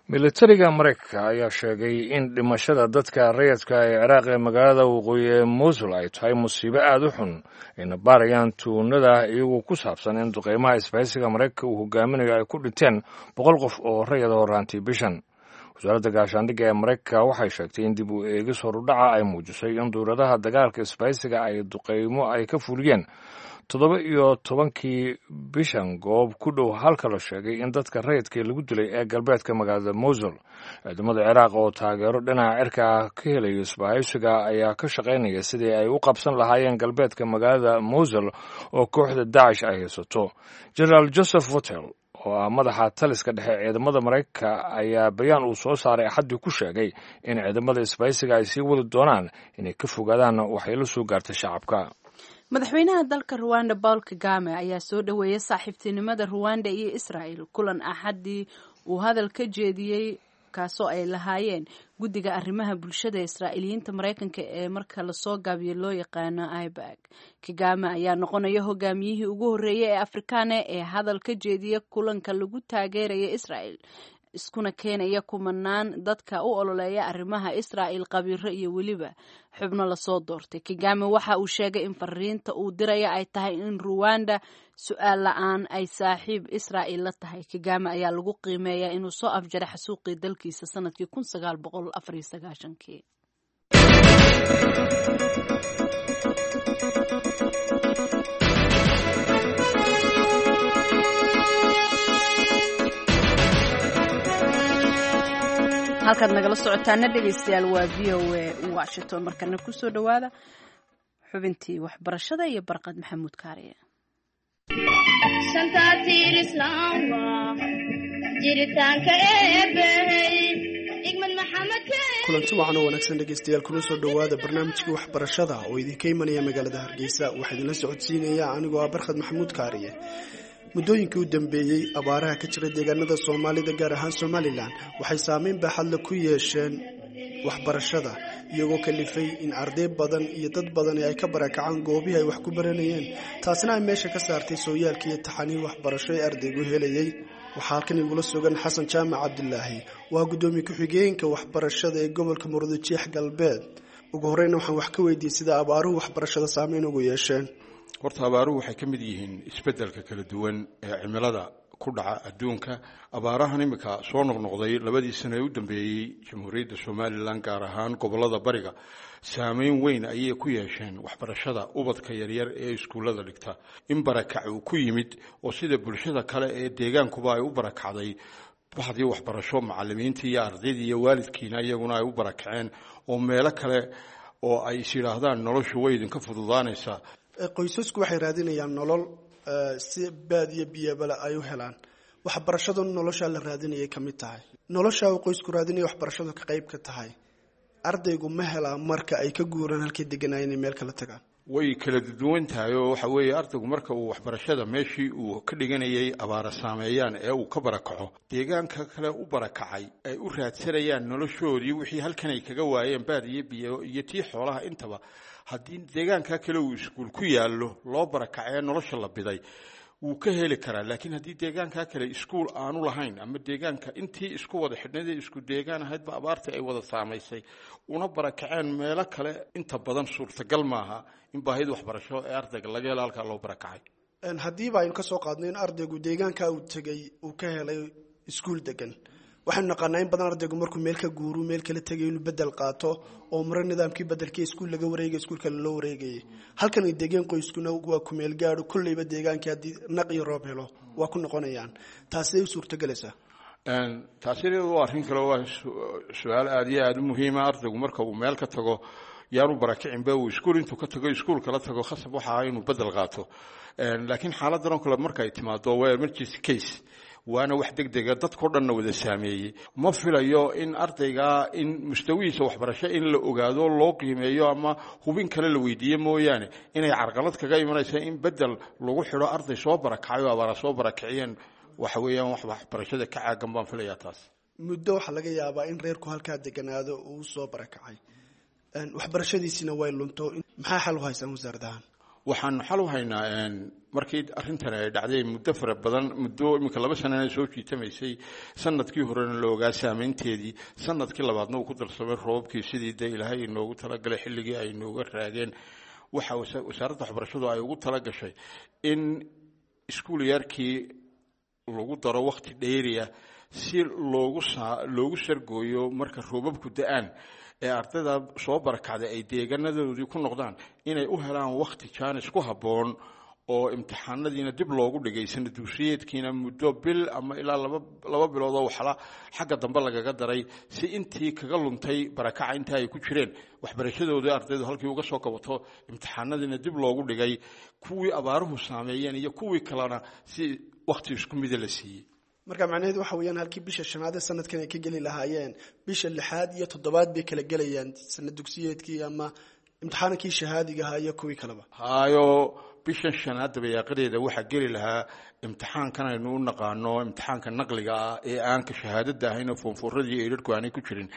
Militariga Maraykanka ayaa sheegay in dhimashada dadka rayadka ee Ciraaq ee magaalada waqooyi ee Mosul ay tahay musiibo aada u xun, ayna baarayaan tuunada iyagoo ku saabsan in duqeymaha isbahaysiga Maraykanka uu hogaaminayo ay ku dhinteen boqol qof oo rayada horaantii bishan. Wasaaradda gaashaandhigga ee Maraykanka waxay sheegtay in dib u eegis horudhaca ay muujisay in duuradaha dagaalka isbahaysiga ay duqeymo ay ka fuliyeen toddoba iyo tobankii bishan goob ku dhow halka la sheegay in dadka rayidka lagu dilay ee galbeedka magaalada Mosul. Ciidamada Ciraaq oo taageero dhinaca cirka ah ka helaya isbahaysiga ayaa ka shaqaynaya sidii ay u qabsan lahaayeen galbeedka magaalada Mosul oo kooxda Dacish ay haysato. Generaal Joseph Votel oo ah madaxa taliska dhexe ciidamada Maraykanka ayaa bayaan uu soo saaray Axaddii ku sheegay in ciidamada isbahaysiga ay sii wadi doonaan inay ka fogaadaan waxyeelo soo gaarta shacabka. Madaxweynaha dalka Ruwanda Paul Kagame ayaa soo dhoweeyay saaxiibtinimada Ruwanda iyo Israel kulan Axaddii uu hadal ka jeediyey, kaasoo ay lahaayeen guddiga arrimaha bulshada Israa'iiliyiinta Maraykanka ee marka lasoo gaabiyo loo yaqaano I B A C. Kagame ayaa noqonaya hogaamiyihii ugu horreeyay ee Afrikaane ee hadal ka jeediya kulanka lagu taageeraya Israel, iskuna keenaya kumanaan dadka u ololeeya arrimaha Israa'il, qabiiro iyo weliba xubno lasoo doortay. Kagame waxa uu sheegay in fariinta uu diraya ay tahay in Ruwanda su-aal la-aan ay saaxiib Israa'il la tahay. Kagame ayaa lagu qiimeeyaa inuu soo afjaray xasuuqii dalkiisa sanadkii kun sagaal boqol afar iyo sagaashankii. Halkaad nagala socotaana dhegeystayaal waa V O A Washington. Markana kusoo dhowaada xubintii waxbarashada iyo Barqad Maxamuud Kaariye. Kulanti wacan oo wanaagsan dhegeystayaal, kuna soo dhowaada barnaamijkii waxbarashada oo idinka imanaya magaalada Hargeysa. Waxaa idinla socodsiinaya anigoo ah Barkhad Maxamuud Kaariye. Muddooyinkii u dambeeyey abaaraha ka jira deegaanada Soomaalida, gaar ahaan Somalilan, waxay saameyn baaxadle ku yeesheen waxbarashada, iyagoo kalifay in arday badan iyo dad badani ay ka barakacaan goobihii ay wax ku baranayeen, taasina ay meesha ka saartay sooyaalkii iyo taxaniin waxbarasho ee ardaygu helayay. Waxaa halkan igula sugan Xasan Jaamac Cabdilaahi, waa guddoomiye ku-xigeenka waxbarashada ee gobolka Murudujeex Galbeed. Ugu horeyna waxaan wax ka weydiiyey sida abaaruhu waxbarashada saameyn ugu yeesheen. Horta abaaruhu waxay ka mid yihiin isbeddelka kala duwan ee cimilada ku dhaca adduunka. Abaarahan iminka soo noqnoqday labadii sano ee u dambeeyey Jamhuuriyadda Somalilan, gaar ahaan gobollada bariga, saameyn weyn ayay ku yeesheen waxbarashada ubadka yaryar ee iskuullada dhigta. In barakac uu ku yimid oo sida bulshada kale ee deegaankuba ay u barakacday baxdii waxbarasho, macallimiintii iyo ardaydii iyo waalidkiina iyaguna ay u barakaceen oo meelo kale oo ay is yidhaahdaan noloshu way idinka fududaanaysaa. Qoysasku waxay raadinayaan nolol si baadiyo biyabala ay u helaan. Waxbarashadu noloshaa la raadinayay ka mid tahay. Noloshaa uu qoysku raadinaya waxbarashadu ka qayb ka tahay. Ardaygu ma helaa marka ay ka guuraan halkay deganaayen inay meel kala tagaan? Way kala duwan tahay oo waxa weeye ardaygu marka uu waxbarashada meeshii uu ka dhiganayay abaara saameeyaan ee uu ka barakaco, deegaanka kale u barakacay ay u raadsanayaan noloshoodii wixii halkan ay kaga waayeen baad iyo biyo iyo tii xoolaha intaba, haddii deegaanka kale uu iskuul ku yaallo loo barakacee nolosha la biday wuu ka heli karaa. Laakiin haddii deegaanka kale iskuul aanu lahayn ama deegaanka intii isku wada xidhnayd ee isku deegaan ahaydba abaartii ay wada saamaysay una barakaceen meelo kale, inta badan suurtagal maaha in baahida waxbarasho ee ardayga laga helo halkaa loo barakacay. Haddiiba aynu ka soo qaadno in ardaygu deegaanka uu tegay uu ka helay iskuul degan, Waxaynu naqaanaa in badan ardaygu markuu meel ka guuru meel kala tegay inuu bedel qaato oo maro nidaamkii bedelkii iskuul laga wareegay iskuul kale loo wareegayay. Halkan ay degeen qoyskuna waa ku meel gaadho, kolleyba deegaankii haddii naq iyo roob helo waa ku noqonayaan. Taasay u suurtogelaysaa? Taasi iyadu waa arrin kale, waa su-aal aada iyo aada u muhiima. Ardaygu marka uu meel ka tago yaanu barakicinba, uu iskuul intuu ka tago iskuul kala tago, khasab waxa ah inuu bedel qaato. Laakiin xaaladdan oo kale marka ay timaado waa emergency case, waana wax deg dega dadkao dhanna wada saameeyey. Ma filayo in ardaygaa in mustawihiisa waxbarasho in la ogaado loo qiimeeyo ama hubin kale la weydiiye mooyaane inay carqalad kaga imanaysa in bedel lagu xidho arday soo barakacay oo abaara soo barakiciyeen. Waxa weeyaan wax waxbarashada ka caagan baan filayaa taas. Muddo waxaa laga yaabaa in reerku halkaa deganaado uu soo barakacay, waxbarashadiisina way lunto. Maxaa xal u haysaan wasaaradahan? Waxaanu xal u haynaa, markii arrintan ay dhacday muddo fara badan, muddo iminka laba sanana soo jiitamaysay, sanadkii horena la ogaa saameynteedii, sanadkii labaadna uu ku darsamay roobabkii sidii dee ilaahay inoogu talagalay xilligii ay inooga raageen, waxa wasaaradda waxbarashadu ay ugu talagashay in iskuul yarkii lagu daro wakhti dheeriya si loogu saa loogu sargooyo marka roobabku da-aan ee ardayda soo barakacday ay deegaanadoodii ku noqdaan, inay u helaan wakhti jaanis ku habboon oo imtixaanadiina dib loogu dhigay, sanad dugsiyeedkiina muddo bil ama ilaa laba laba bilood oo waxla xagga dambe lagaga daray, si intii kaga luntay barakaca inta ay ku jireen waxbarashadoodii ardaydu halkii uga soo kabato, imtixaanadiina dib loogu dhigay, kuwii abaaruhu saameeyeen iyo kuwii kalena si wakhti isku mida la siiyey. Marka macnaheedu waxa weeyaan halkii bisha shanaad ee sanadkan ay ka geli lahaayeen, bisha lixaad iyo toddobaad bay kala gelayaan sanad dugsiyeedkii ama imtixaankii shahaadiga ahaa iyo kuwii kaleba. Hayo, bishan shanaad dabayaaqadeeda waxaa geli lahaa imtixaankan aynu u naqaano imtixaanka naqliga ah ee aan ka shahaadada ahayn oo foonfooradii eedharku aanay ku jirin.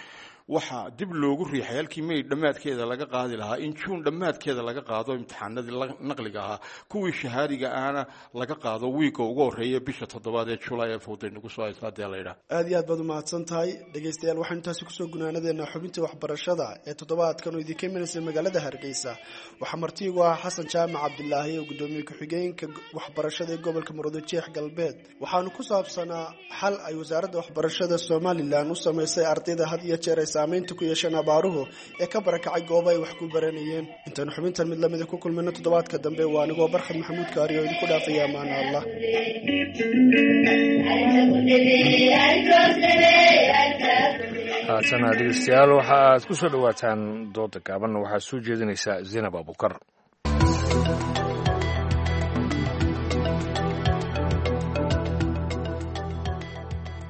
Waxaa dib loogu riixay halkii May dhammaadkeeda laga qaadi lahaa in Juun dhammaadkeeda laga qaado imtixaanadii naqliga ahaa, kuwii shahaadiga ahna laga qaado wiigga ugu horreeya bisha toddobaad ee Julaay ee fowday nagu soo haysa haddii la yidhaah. Aada iyo aad baad umahadsan tahay. Dhegaystayaal, waxaynu taasi kusoo gunaanadeena xubintii waxbarashada ee toddobaadkan oo idinka imanaysa magaalada Hargeysa. Waxaa martiigu ah Xasan Jaamac Cabdilaahi oo guddoomiye ku-xigeenka waxbarashada ee gobolka Maroodi Jeex Galbeed. Waxaanu ku saabsanaa xal ay wasaaradda waxbarashada Somalilan u samaysay ardayda had iyo jeer ay saameynta ku yeesheen abaaruhu ee ka barakacay gooba ay wax ku baranayeen. Intaanu xubintan mid lamida ku kulmayno toddobaadka dambe, waa anigoo Barkhad Maxamuud Kaari oo idinku dhaafaya amaana Allah. Haatana dhegeystayaal, waxa aad ku soo dhowaataan dooda gaaban. Waxaa soo jeedinaysaa Zaynab Abukar.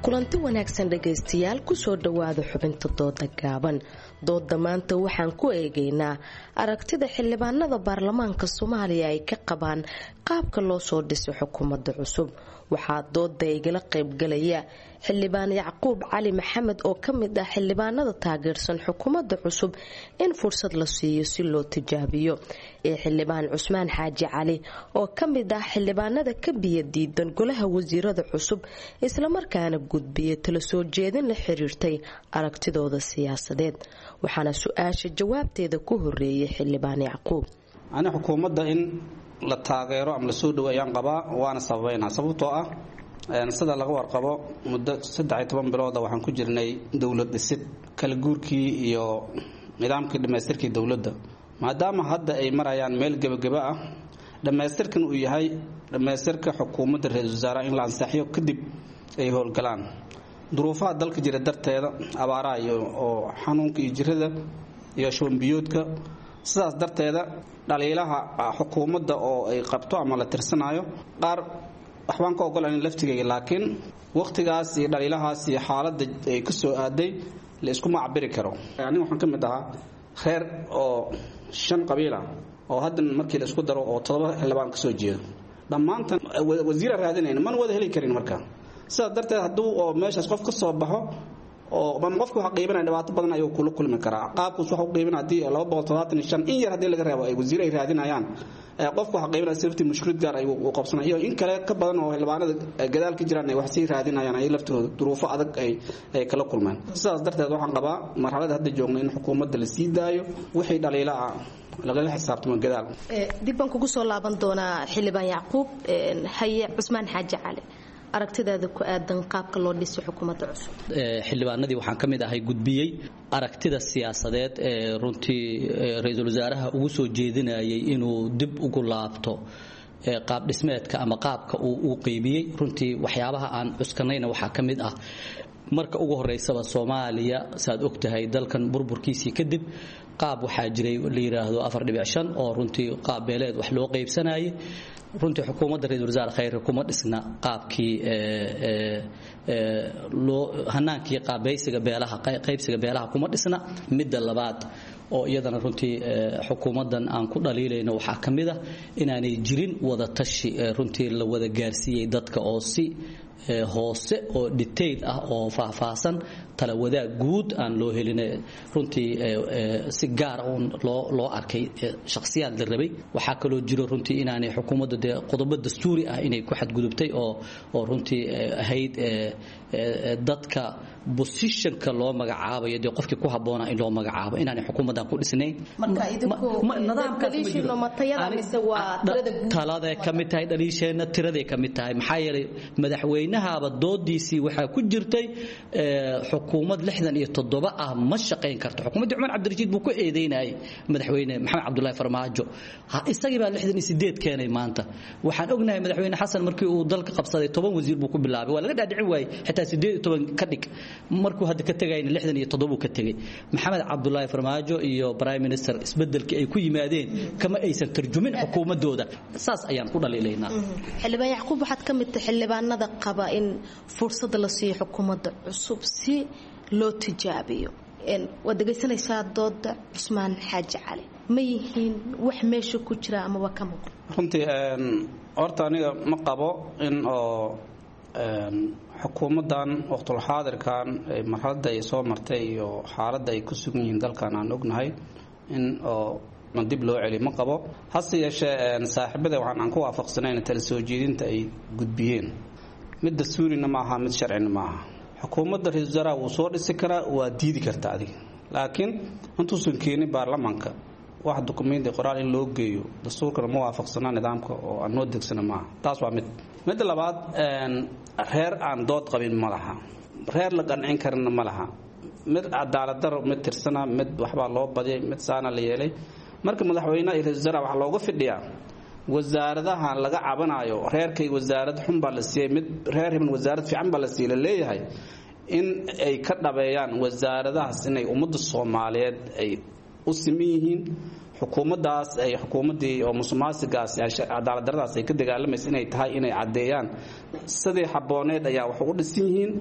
Kulanti wanaagsan dhegaystayaal, kusoo dhowaada xubinta dooda gaaban. Dooda maanta waxaan ku eegaynaa aragtida xildhibaanada baarlamaanka Soomaaliya ay ka qabaan qaabka loo soo dhiso xukuumadda cusub. Waxaa dooda igala qaybgalaya xildhibaan Yacquub Cali Maxamed oo ka mid ah xildhibaanada taageersan xukuumadda cusub in fursad la siiyo si loo tijaabiyo, ee xildhibaan Cusmaan Xaaji Cali oo ka mid ah xildhibaanada ka biyo diidan golaha wasiirada cusub, islamarkaana gudbiya tala soo jeedin la xiriirtay aragtidooda siyaasadeed. Waxaana su-aasha jawaabteeda ku horeeyay xildhibaan Yacquub. Ani xukuumadda in la taageero ama lasoo dhawo ayaan qabaa, waana sababeynaa. Sababtoo ah sida laga warqabo muddo saddex iyo toban bilooda waxaan ku jirnay dowlad dhisid, kala guurkii iyo nidaamkii dhammaystirkii dowladda. Maadaama hadda ay marayaan meel gebageba ah, dhammaystirkan uu yahay dhammaystirka xukuumadda ra-iisul wasaaraha in la ansixiyo kadib ay howlgalaan. Duruufaha dalka jira darteeda, abaaraha iyo oo xanuunka iyo jirada iyo shubanbiyoodka, sidaas darteeda dhaliilaha xukuumadda oo ay qabto ama la tirsanayo qaar waxbaan ka ogolan laftigayga, laakiin wakhtigaas iyo dhaliilahaas iyo xaaladda ay ka soo aaday la iskuma cabiri karo. Aniga waxaan ka mid ahaa reer oo shan qabiil ah oo haddan markii la isku daro oo toddoba xildhibaan ka soo jeedo, dhammaantan wasiira raadinayna mana wada heli karin. Marka sidaas darteed hadduu oo meeshaas qof ka soo baxo oo ama qofku waxa qiibanaya dhibaato badan ayuu kula kulmi karaa. Qaabkuus waxa u qiibanaya haddii laba boqol todobaatan iyo shan in yar haddii laga reebo ay wasiir ay raadinayaan, qofku waxa qiibanaya sirtii mushkilad gaar ayuu u qabsanaya, iyo in kale ka badan oo xildhibaanada gadaal ka jiraan ay wax sii raadinayaan ay laftooda duruufo adag ay ay kala kulmaan. Sidaas darteed waxaan qabaa marxaladda hadda joogno in xukuumadda la sii daayo, wixii dhaliila ah lagala xisaabtamo gadaal. Dib baan kugu soo laaban doonaa xildhibaan Yacquub. Haye Cusmaan Xaaji Cali, Aragtidaada ku aadan qaabka loo dhisay xukuumadda cusub. Xildhibaanadii waxaan ka mid ahay gudbiyey aragtida siyaasadeed ee runtii ra-iisul wasaaraha ugu soo jeedinayay inuu dib ugu laabto qaab dhismeedka ama qaabka uu u qeybiyey. Runtii waxyaabaha aan cuskanayna waxaa ka mid ah, marka ugu horeysaba Soomaaliya saad ogtahay dalkan burburkiisii kadib qaab waxaa jiray la yiraahdo afar dhibic shan oo runtii qaab beeleed wax loo qaybsanayay. Runtii xukuumadda ra-iisul wasaare Khayre kuma dhisna qaabkii loo hanaankii qaabaysiga beelaha, qaybsiga beelaha kuma dhisna. Midda labaad oo iyadana runtii xukuumaddan aan ku dhaliilayno waxaa ka mid ah inaanay jirin wada tashi runtii la wada gaarsiiyey dadka oo si hoose oo detail ah oo faahfaahsan tala wadaag guud aan loo helin, runtii si gaar ah loo loo arkay shakhsiyaad la rabay. Waxaa kaloo jiro runtii inaanay xukuumadda dee qodobo dastuuri ah inay ku xadgudubtay oo oo runtii ahayd dadka positionka loo magacaabayo dee qofkii ku habboonaa in loo magacaabo inaanay xukuumaddan ku dhisnayn. Taladay ka mid tahay dhaliisheenna, tiraday ka mid tahay, maxaa yeelay madaxweynahaaba doodiisii waxaa ku jirtay xukuumad lixdan iyo toddoba ah ma shaqayn karto. Xukuumaddii Cumar Cabdirashiid buu ku eedeynayay madaxweyne Maxamed Cabdullaahi Farmaajo, isagii baa lixdan iyo sideed keenay. Maanta waxaan ognahay madaxweyne Xasan markii uu dalka qabsaday toban wasiir buu ku bilaabay, waa laga dhaadhicin waayey xitaa sideed iyo toban ka dhig, markuu hadda ka tegayna lixdan iyo toddoba ka tegay. Maxamed Cabdullaahi Farmaajo iyo prime minister isbedelkii ay ku yimaadeen kama aysan tarjumin xukuumadooda, saas ayaan ku dhaliilaynaa. Xildhibaan Yacquub, waxaad ka mid tahay xildhibaanada qaba in fursad la siiyo xukuumadda cusub si loo tijaabiyo. Waad dhegaysanaysaa dooda Cusmaan Xaaji Cali, ma yihiin wax meesha ku jira amaba ka muuqan? Runtii horta aniga ma qabo in oo xukuumaddan waqtul xaadirkan marxaladda ay soo martay iyo xaaladda ay ku sugan yihiin dalkan aan ognahay in oo dib loo celiyo ma qabo. Hase yeeshee saaxiibada waxaan aan ku waafaqsanayn tala soo jeedinta ay gudbiyeen, mid dastuurina maaha, mid sharcina maaha. Xukuumadda ra-iisul wasaaraha wuu soo dhisi karaa, waa diidi karta adiga, laakiin intuusan keenin baarlamaanka wax dukumenti qoraal in loo geeyo dastuurkana ma waafaqsana, nidaamka oo aan noo degsana maaha. Taas waa mid. Midda labaad, reer aan dood qabin ma laha, reer la qancin karana ma laha, mid cadaalad daro mid tirsana, mid waxbaa loo badiyay, mid saana la yeelay. Marka madaxweynaha iyo ra-iisul wasaaraha waxaa looga fidhiyaa wasaaradaha laga cabanayo reerkay wasaarad xun baa la siiyey, mid reer hiban wasaarad fiican baa la siiyey la leeyahay, in ay ka dhabeeyaan wasaaradahaas inay ummadda Soomaaliyeed ay u siman yihiin, xukuumaddaas ay xukuumaddii oo musuqmaasuqaas cadaalad darradaas ay ka dagaalamaysa inay tahay, inay caddeeyaan sidii habbooneed ayaa wax ugu dhisan yihiin.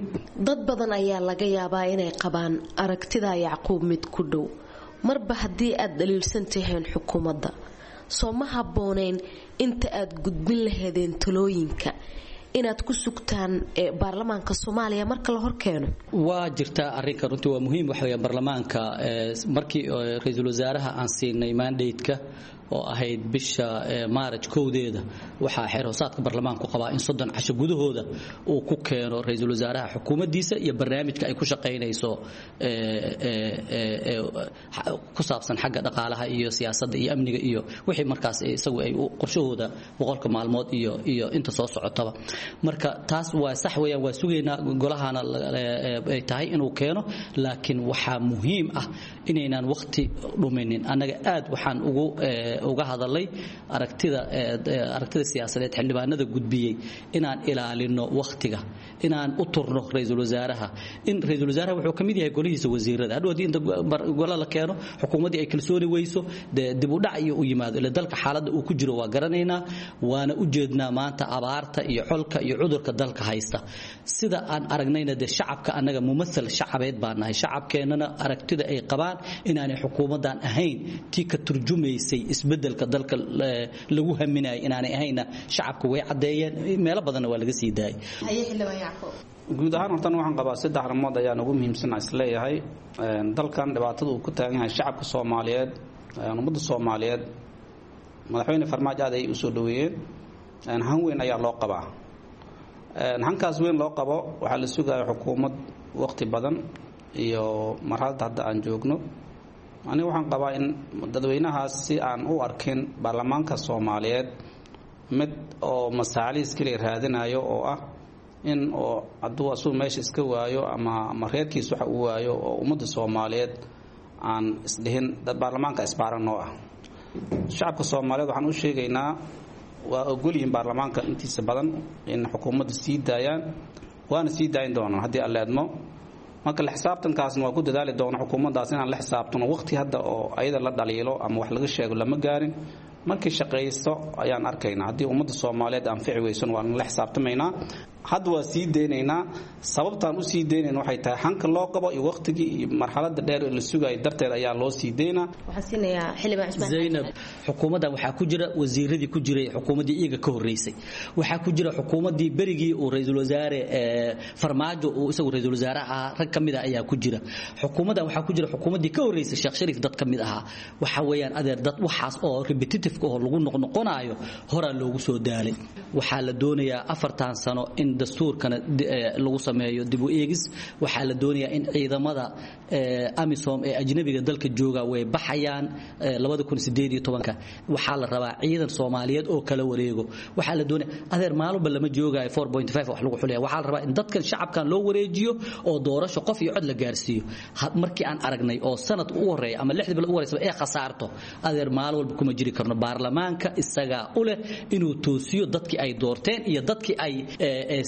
Dad badan ayaa laga yaabaa inay qabaan aragtida Yacquub mid ku dhow. Marba haddii aad dhaliilsan tihiin xukuumadda, soo ma habbooneyn inta aad gudbin laheedeen talooyinka inaad ku sugtaan baarlamaanka Soomaaliya marka la horkeeno? Waa jirtaa arrinka, runtii waa muhiim. Waxa weeyaan baarlamaanka markii ra-iisul wasaaraha aan siinay mandate-ka oo ahayd bisha maaraj kowdeeda, waxaa xeer hoosaadka baarlamaanku qabaa in soddon casho gudahooda uu ku keeno ra-iisul wasaaraha xukuumaddiisa iyo barnaamijka ay ku shaqaynayso ku saabsan xagga dhaqaalaha iyo siyaasadda iyo amniga iyo wixii markaas isagu ay qorshahooda boqolka maalmood iyo iyo inta soo socotaba. Marka taas waa sax weeyaan, waa sugaynaa golahana ay tahay inuu keeno, laakiin waxaa muhiim ah inaynaan waqti dhuminin. Annaga aad waxaan ugu uga hadalay aragtida aragtida siyaasadeed xildhibaanada gudbiyey inaan ilaalino waqtiga, inaan u turno ra-iisul wasaaraha, in ra-iisul wasaaraha wuxuu ka mid yahay golihiisa wasiirada. Hadhow haddii inta gola la keeno xukuumaddii ay kalsooni weyso dee dib u dhac iyo u yimaado, ila dalka xaaladda uu ku jiro waa garanaynaa, waana u jeednaa maanta abaarta iyo colka iyo cudurka dalka haysta. Sida aan aragnayna dee shacabka annaga mumathal shacabeed baan nahay, shacabkeennana aragtida ay qabaan inaanay xukuumaddan ahayn tii ka turjumaysay isbedelka dalka lagu haminayay inaanay ahayna shacabka way caddeeyeen, meelo badanna waa laga sii daayay. Guud ahaan hortan waxaan qabaa saddex arrimood ayaan ugu muhiimsan isleeyahay. Dalkan dhibaatada uu ku taagan yahay shacabka Soomaaliyeed, ummadda Soomaaliyeed, madaxweyne Farmaajo aad ay u soo dhaweeyeen, han weyn ayaa loo qabaa. Hankaas weyn loo qabo waxaa la sugaya xukuumad waqti badan iyo marxaladda hadda aan joogno. Aniga waxaan qabaa in dadweynahaas si aan u arkin baarlamaanka Soomaaliyeed mid oo masaaliis kaliya raadinayo oo ah In oo hadduu asugu meesha iska waayo ama ama reerkiis waxa uu waayo oo ummadda Soomaaliyeed aan isdhihin dad baarlamaanka isbaaran noo ah. Shacabka Soomaaliyeed waxaan u sheegaynaa waa ogol yihiin baarlamaanka intiisa badan in xukuumadda sii daayaan, waana sii daayin doonaan haddii Alle idmo. Marka la xisaabtankaasna waa ku dadaali doona xukuumaddaas inaan la xisaabtano. Waqti hadda oo ayada la dhaliilo ama wax laga sheego lama gaarin. Markay shaqaysto ayaan arkaynaa. Haddii ummadda Soomaaliyeed anfici weysan, waan la xisaabtamaynaa. Hadda waa sii deynaynaa. Sababtaan u sii deynayna waxay tahay xanka loo qabo iyo waqtigii iyo marxaladda dheer ee la sugayo darteed ayaa loo sii deynaa. Waxaan siinayaa xildhibaan Cusmaan. Zaynab, xukuumaddan waxaa ku jira wasiiradii ku jiray xukuumaddii iyaga ka horreysay. Waxaa ku jira xukuumaddii berigii uu ra'iisul wasaare Farmaajo uu isagu ra'iisul wasaare ahaa, rag ka mid ah ayaa ku jira. Xukuumaddan waxaa ku jira xukuumaddii ka horreysay Sheekh Shariif dad ka mid ahaa. Waxa weeyaan adeer, dad waxaas oo repetitive oo lagu noqnoqonayo horaa loogu soo daalay. Waxaa la doonayaa afartan sano in dastuurkana lagu sameeyo dib u eegis. Waxaa la doonayaa in ciidamada AMISOM ee ajnabiga dalka jooga way baxayaan labada kun sideed iyo tobanka. Waxaa la rabaa ciidan Soomaaliyeed oo kala wareego. Waxaa la doonaya adeer, maalinba lama joogayo afar dhibic shan wax lagu xulaya. Waxaa la rabaa in dadkan shacabkan loo wareejiyo oo doorasho qof iyo cod la gaarsiiyo. Markii aan aragnay oo sanad u horeeya ama lixda bilood u horeysa ee khasaarto, adeer, maalin walba kuma jiri karno. Baarlamaanka isagaa u leh inuu toosiyo dadkii ay doorteen iyo dadkii ay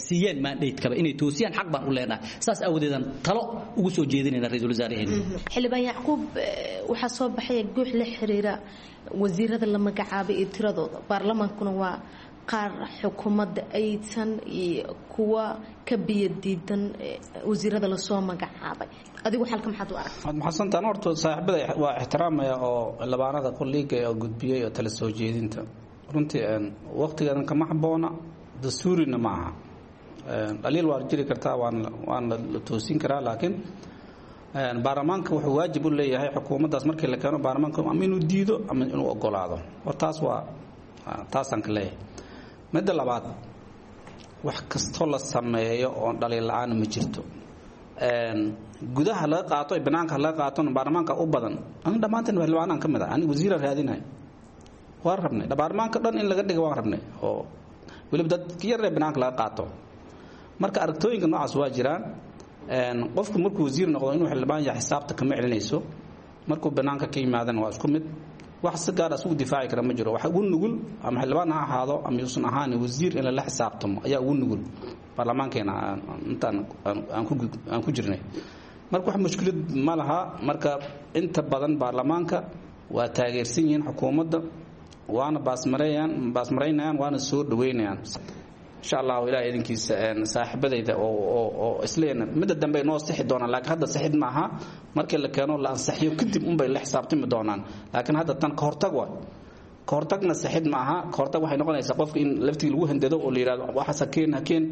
siiyeen mandate-kaba inay toosiyaan, xaq baan u leenahay. Saas aawadeedan talo ugu soo jeedinayna ra'iisul wasaaraheena. Xildhibaan Yacquub, waxaa soo baxaya guux la xiriira wasiirada la magacaabay iyo tiradooda. Baarlamaankuna waa qaar xukuumadda aysan iyo kuwa ka biyo diidan wasiirada lasoo magacaabay. Adigu xalka maxaad u aragtaa? Waad maxadsantaan. Horta saaxiibada waa ixtiraamaya oo xildhibaanada kolliiga oo gudbiyey oo tala soo jeedinta. Runtii waqtigeedan kama habboona, dastuurina ma aha. Dhaliil waa jiri kartaa, waana waana la toosin karaa, laakiin baarlamaanka wuxuu waajib u leeyahay xukuumaddaas markii la keeno baarlamaanka ama inuu diido ama inuu ogolaado. Hor taas waa taasaan ka leeyahay. Midda labaad, wax kastoo la sameeyo oon dhaliil la-aan ma jirto. Gudaha laga qaato iyo banaanka laga qaatona baarlamaanka u badan. Aniga dhammaanteen xildhibaanaan ka mid ah. Aniga wasiiraan raadinayo, waan rabnay baarlamaanka dhan in laga dhiga, waan rabnay oo weliba dad yaree banaanka laga qaato. Marka aragtooyinka noocaas waa jiraan. Qofku markuu wasiir noqdo inuu xildhibaan yahay xisaabta kama celinayso. Markuu banaanka ka yimaadana waa isku mid. Wax si gaar ah isugu difaaci kara ma jiro. Waxa ugu nugul, ama xildhibaan ha ahaado ama yuusan ahaan, wasiir in lala xisaabtamo ayaa ugu nugul baarlamaankeena intaan aan ku aan ku jirnay. Marka wax mushkilad ma laha. Marka inta badan baarlamaanka waa taageersan yihiin xukuumadda, waana baasmareeyaan baasmaraynayaan, waana soo dhaweynayaan insha Allahu. Ilaah idinkiisa, saaxiibadayda oo oo oo isleena midda dambe noo sixi doonaan, laakiin hadda sixid ma aha. Markii la keeno la ansaxiyo kadib unbay la xisaabtami doonaan, laakiin hadda tan ka hortag waa ka hortagna, sixid ma aha. Ka hortag waxay noqonaysaa qofka in laftigii lagu handado oo la yidhahdo waxaas ha keen, ha keen.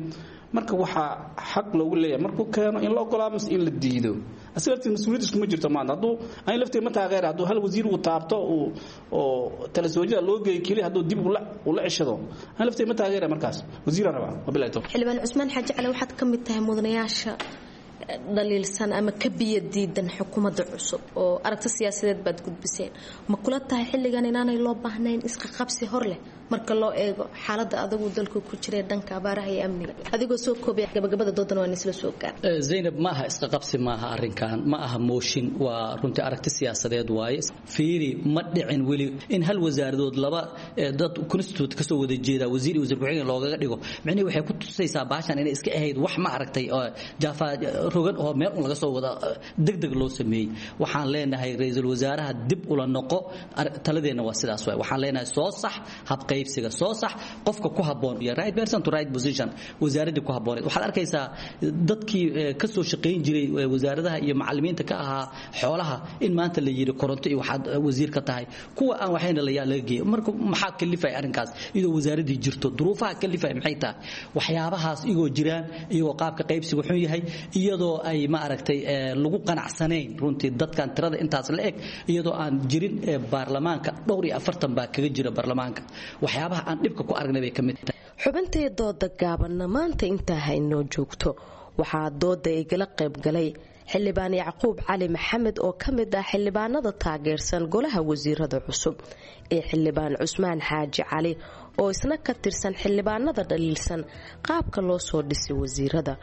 Marka waxaa xaq loogu leeyahay markuu keeno in la ogolaado mise in la diido. Asiga laftiisa mas-uuliyad iskuma jirto maanta. Hadduu ani laftiga ma taageera, hadduu hal wasiir uu taabto uu oo tala soojida loo geeyo keliya, hadduu dib ula ula ceshado, ani laftiga ma taageera. Markaas wasiiraan rabaa. Wabilahi tawfiiq. Xildhibaan Cusmaan Xaaji Cali, waxaad ka mid tahay mudanayaasha dhaliilsan ama ka biyo diidan xukuumadda cusub oo aragti siyaasadeed baad gudbiseen. Ma kula tahay xilligan inaanay loo baahnayn isqaqabsi hor leh marka loo eego xaaladda adagu dalku ku jiray dhanka abaaraha iyo amniga? Adigoo soo koobaya, gabagabada doodan waan isla soo gaar. Zaynab, ma aha isqaqabsi, maaha arrinkan, ma aha mooshin, waa runtii aragti siyaasadeed waaye. Fiiri, ma dhicin weli in hal wasaaradood laba dad constitute kasoo wada jeeda wasiir iyo wasiir ku-xigeen loogaga dhigo. Micnihi waxay ku tusaysaa baashan inay iska ahayd wax ma aragtay jaafa rogan oo meel un laga soo wada degdeg loo sameeyey. Waxaan leenahay ra'iisul wasaaraha dib ula noqo. Taladeenna waa sidaas waay. Waxaan leenahay soo sax habqaybsiga, soo sax qofka ku habboon iyo right person to right position, wasaaraddii ku habbooneed. Waxaad arkaysaa dadkii ka soo shaqayn jiray wasaaradaha iyo macallimiinta ka ahaa xoolaha in maanta la yidhi koronto iyo waxaad wasiir ka tahay, kuwa aan waxayna la laga geeyay. Marka maxaa kalifay arrinkaas iyadoo wasaaraddii jirto? Duruufaha kalifay maxay tahay? Waxyaabahaas iyagoo jiraan, iyagoo qaabka qaybsiga xun yahay, iyadoo ay ma aragtay lagu qanacsanayn runtii dadkan tirada intaas la eg, iyadoo aan jirin baarlamaanka dhowr iyo afartan baa kaga jira baarlamaanka, waxyaabaha aan dhibka ku aragnay bay ka mid tahay. Xubintay dooda gaabanna maanta intaa haynoo joogto. Waxaa dooda igala qayb galay Xildhibaan Yacquub Cali Maxamed oo ka mid ah xildhibaanada taageersan golaha wasiirada cusub iyo Xildhibaan Cusmaan Xaaji Cali oo isna ka tirsan xildhibaanada dhaliilsan qaabka loo soo dhisay wasiirada.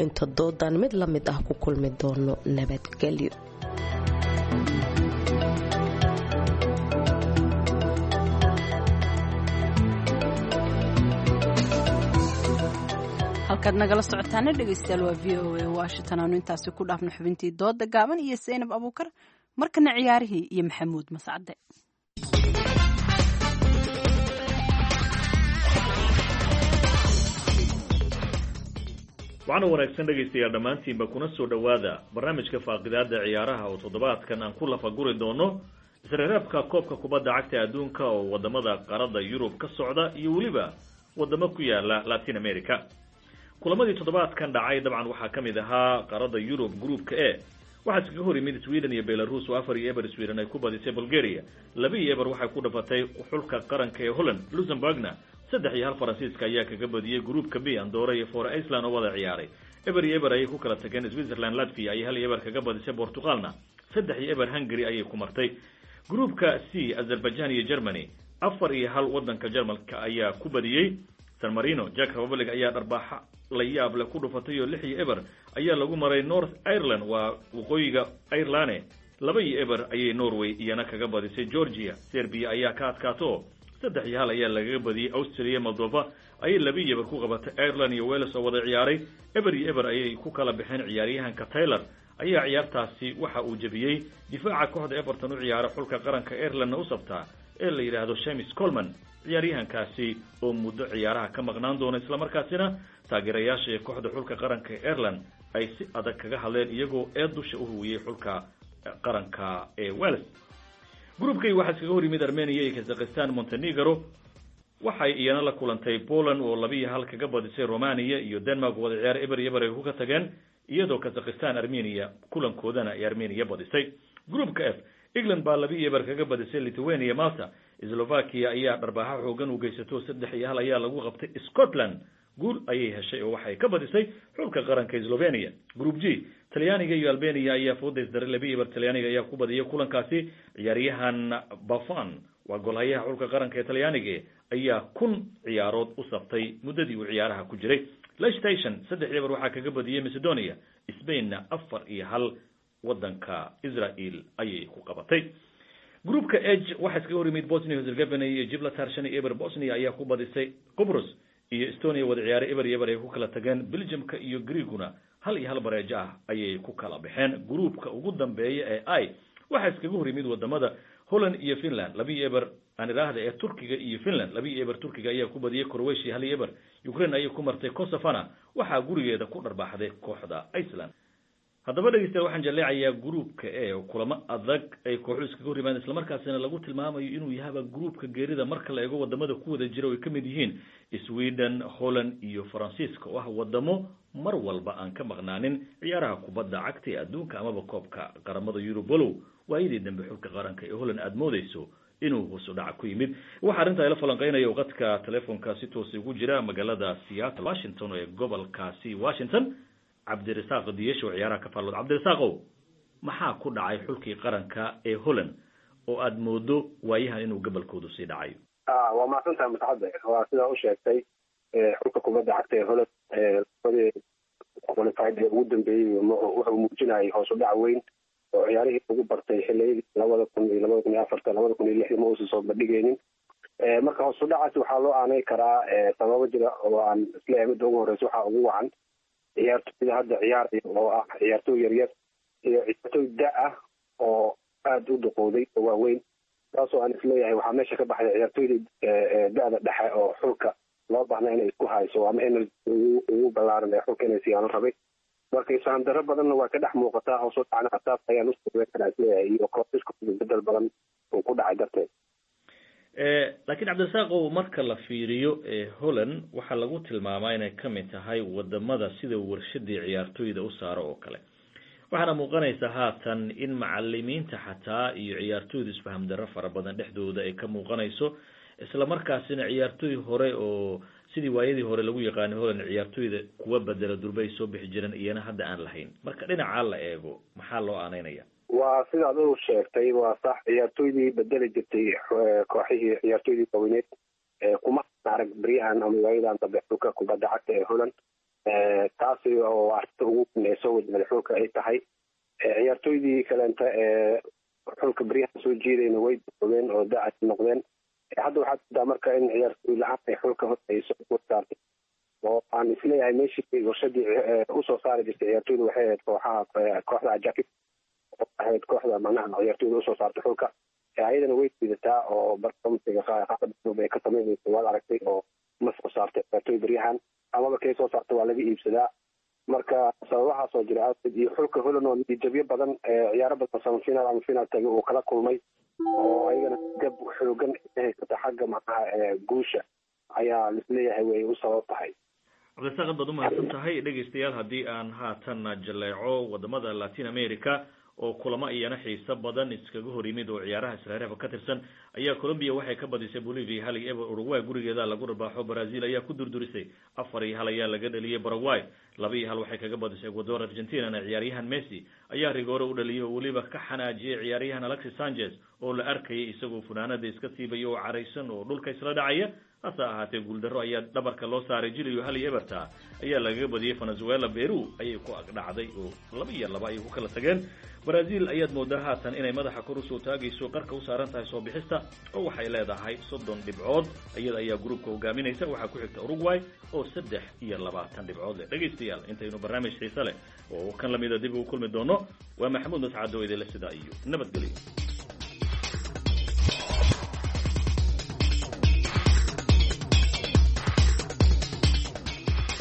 Inta doodan mid la mid ah ku kulmi doono, nabadgelyo. Halkaad nagala socotaana dhegeystayaal waa V O A Washington. Aanu intaasi ku dhaafno xubintii dooda gaaban iyo Saynab Abuukar. Markana ciyaarihii iyo Maxamuud Mascade. Waxaana wanaagsan dhegaystayaal dhammaantiinba, kuna soo dhowaada barnaamijka faaqidaada ciyaaraha oo toddobaadkan aan ku lafaguri doono isreereebka koobka kubadda cagta adduunka oo wadamada qaaradda Yurub ka socda iyo weliba wadamo ku yaala Latin America. Kulamadii toddobaadkan dhacay dabcan waxaa ka mid ahaa qaaradda Yurub gruupka E waxaa iskaga hor yimid Sweden iyo Belarus oo afar iyo eber Sweden ay ku badisay. Bulgaria laba iyo eber waxay ku dhafatay xulka qaranka ee Holland. Luxembourgna saddex iyo hal Faransiiska ayaa kaga badiyey. Gruupka B, Andorra iyo Faroe Iceland oo wada ciyaaray eber iyo eber ayay ku kala tageen. Switzerland Latvia ayay hal iyo eber kaga badisay. Portugalna saddex iyo eber Hungary ayay ku martay. Gruupka C, Azerbaijan iyo Germany afar iyo hal wadanka Jarmalka ayaa ku badiyey. San Marino Czech Republic ayaa dharbaaxa la yaab leh ku dhufatay oo lix iyo eber ayaa lagu maray. North Ireland, waa waqooyiga Ireland, laba iyo eber ayay Norway iyana kaga badisay. Georgia Serbia ayaa ka adkaato, saddex iyo hal ayaa lagaga badiyey. Austria Moldova ayay laba iyo eber ku qabatay. Ireland iyo Wales oo wada ciyaaray eber iyo eber ayay ku kala baxeen. Ciyaaryahanka Taylor ayaa ciyaartaasi waxa uu jebiyey difaaca kooxda Everton u ciyaara, xulka qaranka Irelandna u sabtaa ee la yidhaahdo Seamus Coleman, ciyaaryahankaasi oo muddo ciyaaraha ka maqnaan doona, islamarkaasina taageerayaasha ee kooxda xulka qaranka ee Ireland ay si adag kaga hadleen iyagoo ee dusha u huwiyey xulka qaranka ee Wales. Gruupkay waxaa iskaga hor yimid Armenia iyo Kazakhstan. Montenegro waxay iyana la kulantay Poland oo laba iyo hal kaga badisay. Romania iyo Denmark wada ciyaar eber iyo eber ay ku ka tageen, iyadoo Kazakhstan Armenia kulankoodana ay Armenia badisay. Gruupka F, England baa laba iyo eber kaga badisay Lithuania. Malta Slovakia ayaa dharbaaxa xoogan u geysato, saddex iyo hal ayaa lagu qabtay. Scotland guul ayay heshay oo waxay ka badisay xulka qaranka Slovenia. Group G, Talyaaniga iyo Albania ayaa fooda isdaray, laba iyo eber Talyaaniga ayaa ku badiyay kulankaasi. Ciyaaryahan Buffon, waa golhayaha xulka qaranka ee Talyaaniga, ayaa kun ciyaarood u saftay muddadii uu ciyaaraha ku jiray. Liechtenstein saddex iyo eber waxaa kaga badiyay Macedonia. Spainna afar iyo hal wadanka Israel ayay ku qabatay. Gruupka H waxaa iskaga hor yimid Bosnia Herzegovina iyo Gibraltar, shan iyo eber Bosnia ayaa ku badisay. Qobrus iyo Estonia wada ciyaaray eber iyo eber ay ku kala tageen. Belgiumka iyo Greeguna hal iyo hal bareejo ah ayay ku kala baxeen. Gruupka ugu dambeeya ee I waxaa iskaga hor yimid wadamada Holland iyo Finland, laba iyo eber, aan idhaahda ee Turkiga iyo Finland, laba iyo eber Turkiga ayaa ku badiyay. Croatia hal iyo eber Ukraine ayay ku martay. Kosovana waxaa gurigeeda ku dharbaaxday kooxda Iceland. Haddaba dhegeystayaal, waxaan jaleecayaa gruupka E oo kulamo adag ay kooxu iskaga hor yimaadeen, islamarkaasina lagu tilmaamayo inuu yahaba gruupka geerida marka la eego wadamada ku wada jira oo ay ka mid yihiin Sweden, Holland iyo Faransiiska oo ah wadamo mar walba aan ka maqnaanin ciyaaraha kubadda cagta ee adduunka amaba koobka qaramada Yurub, walow waayadii dambe xulka qaranka ee Holland aada moodeyso inuu hoos u dhaca ku yimid. Waxaa arrintaa ila falanqeynaya oo qadka telefoonka si toos ugu jira magaalada Seattle, Washington ee gobolkaasi Washington, Cabdirasaaq Diyesho, ciyaaraha ka faallood. Cabdirasaaqow, maxaa ku dhacay xulkii qaranka ee Holland oo aada moodo waayahan inuu gobolkoodu sii dhacayo? Waa mahadsantahay Mascade. Waa sidaa u sheegtay, xulka kubadda cagta ee Holland labadii qualified ee ugu dambeeyey wuxuu muujinayay hoos u dhac weyn oo ciyaarihii ugu bartay xiliyadii labada kun iyo labada kun iyo afarta, labada kun iyo lixdii ma uusan soo bandhigaynin. Marka hoos u dhacaasi waxaa loo aanay karaa sababo jira oo aan isleeyahay midda ugu horeysa waxaa ugu wacan ciyaartoyda hadda ciyaaraya oo ah ciyaartooy yaryar iyo ciyaartooy da ah oo aada u duqowday oo waaweyn, taasoo aan isleeyahay waxaa meesha ka baxday ciyaartooyda da-da dhexe oo xulka loo baahna inay isku hayso ama energy ugu ballaaran ee xulka inay siyaano rabay. Marka isfahan darro badanna waa ka dhex muuqataa hoos u dhacna, taas ayaan usoo karaa isleeyahay, iyo kooxisku bedel badan uu ku dhacay darteed. Laakiin Cabdirasaaqow, marka la fiiriyo Holland waxaa lagu tilmaamaa inay ka mid tahay wadamada sida warshadii ciyaartooyda u saaro oo kale, waxaana muuqanaysa haatan in macalimiinta xataa iyo ciyaartooydu isfaham darro fara badan dhexdooda ay ka muuqanayso, isla markaasina ciyaartooy hore oo Sidii waayadii hore lagu yaqaanay Holland ciyaartoyda kuwa bedela durba ay soo bixi jireen, iyana hadda aan lahayn. Marka dhinacaa la eego, maxaa loo aaneynaya? Waa sida adigu sheegtay, waa sax. Ciyaartoydii bedeli jirtay kooxihii, ciyaartoydii waaweneed kuma arag beryahan ama waayadan dambe xulka kubadda cagta ee Holland, taasi oo arrinta ugu weyn ee soo wajahday xulka ay tahay. Ciyaartoydii kaleenta ee xulka beryahan soo jiidayna way doogeen oo dacas noqdeen. Hadda waxaad moodaa marka in ciyaartoy la-aan ay xulka hor ay soo saartay, oo aan isleeyahay meeshii warshadii usoo saari jirtay ciyaartoyda waxay ahayd kooxaha, kooxda Ajax oo ahayd kooxda macnaha ciyaartoyda usoo saartay xulka, ayadana way jiidataa oo barnaamijka qaabka ay ka sameynayso waad aragtay, oo ma soo saartay ciyaartoy beryahan, amaba kay soo saartay waa laga iibsadaa. Marka sababahaas oo jira awgeed iyo xulka Holland oo natiijabyo badan, ciyaaro badan semifinal ama final tagay uu kala kulmay, oo ayagana gab xoogan haysata xagga macnaha guusha, ayaa lisleeyahay way u sabab tahay. Cabdirasaaq, baad umahadsan tahay. Dhegaystayaal, haddii aan haatan jaleeco wadamada Latin America oo kulamo iyana xiiso badan iskaga hor yimid oo ciyaaraha israareebka ka tirsan, ayaa Colombia waxay ka badisay Bolivia hal iyo eber. Uruguay gurigeeda lagu rabaaxo Brazil ayaa ku durdurisay, afar iyo hal ayaa laga dhaliyay. Paraguay laba iyo hal waxay kaga badisay Ecuador. Argentinana ciyaaryahan Messi ayaa rigoore u dhaliyay oo weliba ka xanaajiyay ciyaaryahan Alexis Sanchez oo la arkayay isagoo funaanada iska siibaya oo caraysan oo dhulka isla dhacaya. Hase ahaatee guuldarro ayaa dhabarka loo saaray Jiliyo, hal iyo eberta ayaa lagaga badiyey. Venezuela Peru ayay ku agdhacday oo laba iyo laba ayay ku kala tageen. Brazil ayaad moodaa haatan inay madaxa kor usoo taagayso, qarka u saaran tahay soo bixista, oo waxay leedahay soddon dhibcood. Iyada ayaa gruubka hogaaminaysa, waxaa ku xigta Uruguay oo saddex iyo labaatan dhibcood leh. Dhegaystayaal, intaynu barnaamij xiise leh oo kan lamida dib ugu kulmi doono, waa Maxamuud Mascado idinle sidaa iyo nabadgelyo.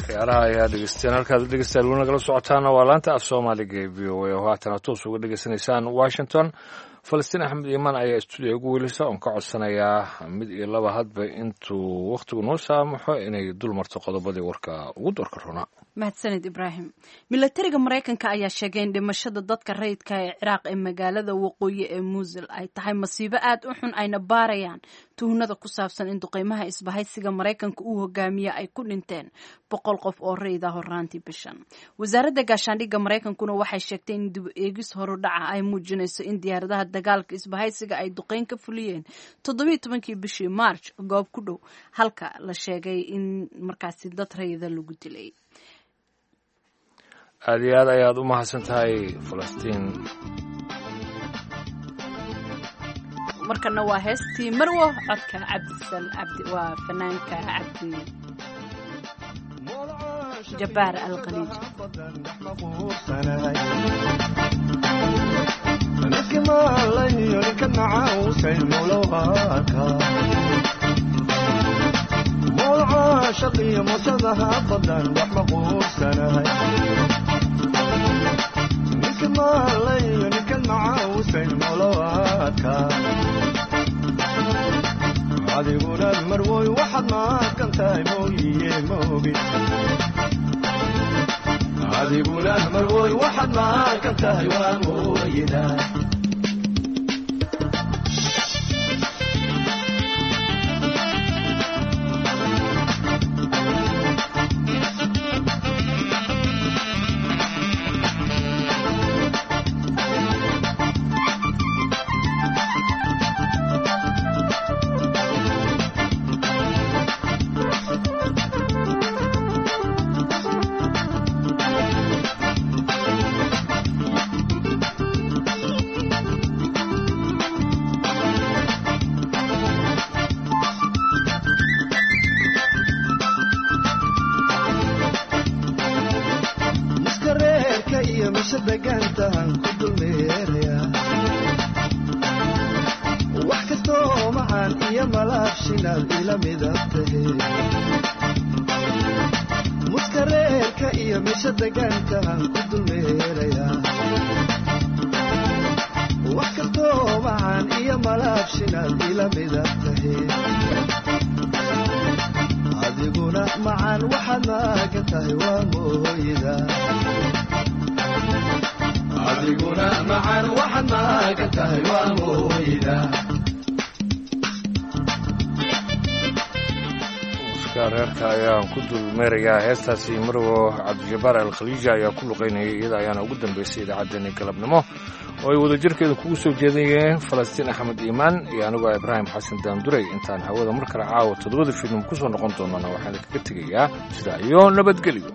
Ciyaaraha ayaa dhegeysteen. Halkaad dhegeystayaal weli nagala socotaana waa laanta af Soomaaliga ee V O A oo haatana toos uga dhegeysanaysaan Washington. Falastiin Axmed Iimaan ayaa stuudiga ugu weelisa oon ka codsanayaa mid iyo laba hadba intuu wakhtigu noo saamaxo inay dul marto qodobadii warka ugu doorka roonaa. Mahadsaned Ibraahim. Milatariga Maraykanka ayaa sheegay in dhimashada dadka rayidka ee Ciraaq ee magaalada waqooyi ee Muusil ay tahay masiibo aad u xun, ayna baarayaan tuhnada ku saabsan in duqeymaha isbahaysiga Maraykanka uu hogaamiye ay ku dhinteen boqol qof oo rayid ah horaantii bishan. Wasaaradda gaashaandhigga Maraykankuna waxay sheegtay in dib eegis horudhaca ay muujinayso in diyaaradaha dagaalka isbahaysiga ay duqeyn ka fuliyeen toddobiiyo tobankii bishii March goob ku dhow halka la sheegay in markaasi dad rayida lagu dilay. Aada iyo aad ayaad u mahadsan tahay Falastiin. Markana waa heestii Marwo, codka Cabdisal Cabdi, waa fanaanka Cabdi Jabbaar Alkhaliij. Adiguna marwoy waxaad maadkan tahay mooyiye moogi, adiguna marwoy waxaad maadkan tahay waa mooyida. Miskareerka iyo mise degaantahan ku dulmeeraya, wax kastoo macaan iyo malaabshinaad ila midab tahe. Muskareerka iyo mise degaantahan ku dulmeeraya, wax kastoo macaan iyo malaabshinaad ila midab tahe. Adiguna macaan waxaad maagan tahay waa mooyida, adiguna macaan waxaad maagan tahay waa mooyida. Muuska Aniga reerka ayaan ku dulmeerayaa heestaasi. Marwo Cabdijabaar Alkhaliija ayaa ku luqaynayay, iyada ayaana ugu dambaysay idaacaddeenii galabnimo oo ay wadajirkeeda kugu soo jeedayeen Falastiin Axmed Iimaan iyo anigoo Ibraahim Xasan Daanduray. Intaan hawada mar kale caawa toddobada fiidnimo ku soo noqon doonana waxaan kaga tegayaa sidaa iyo nabadgelyo.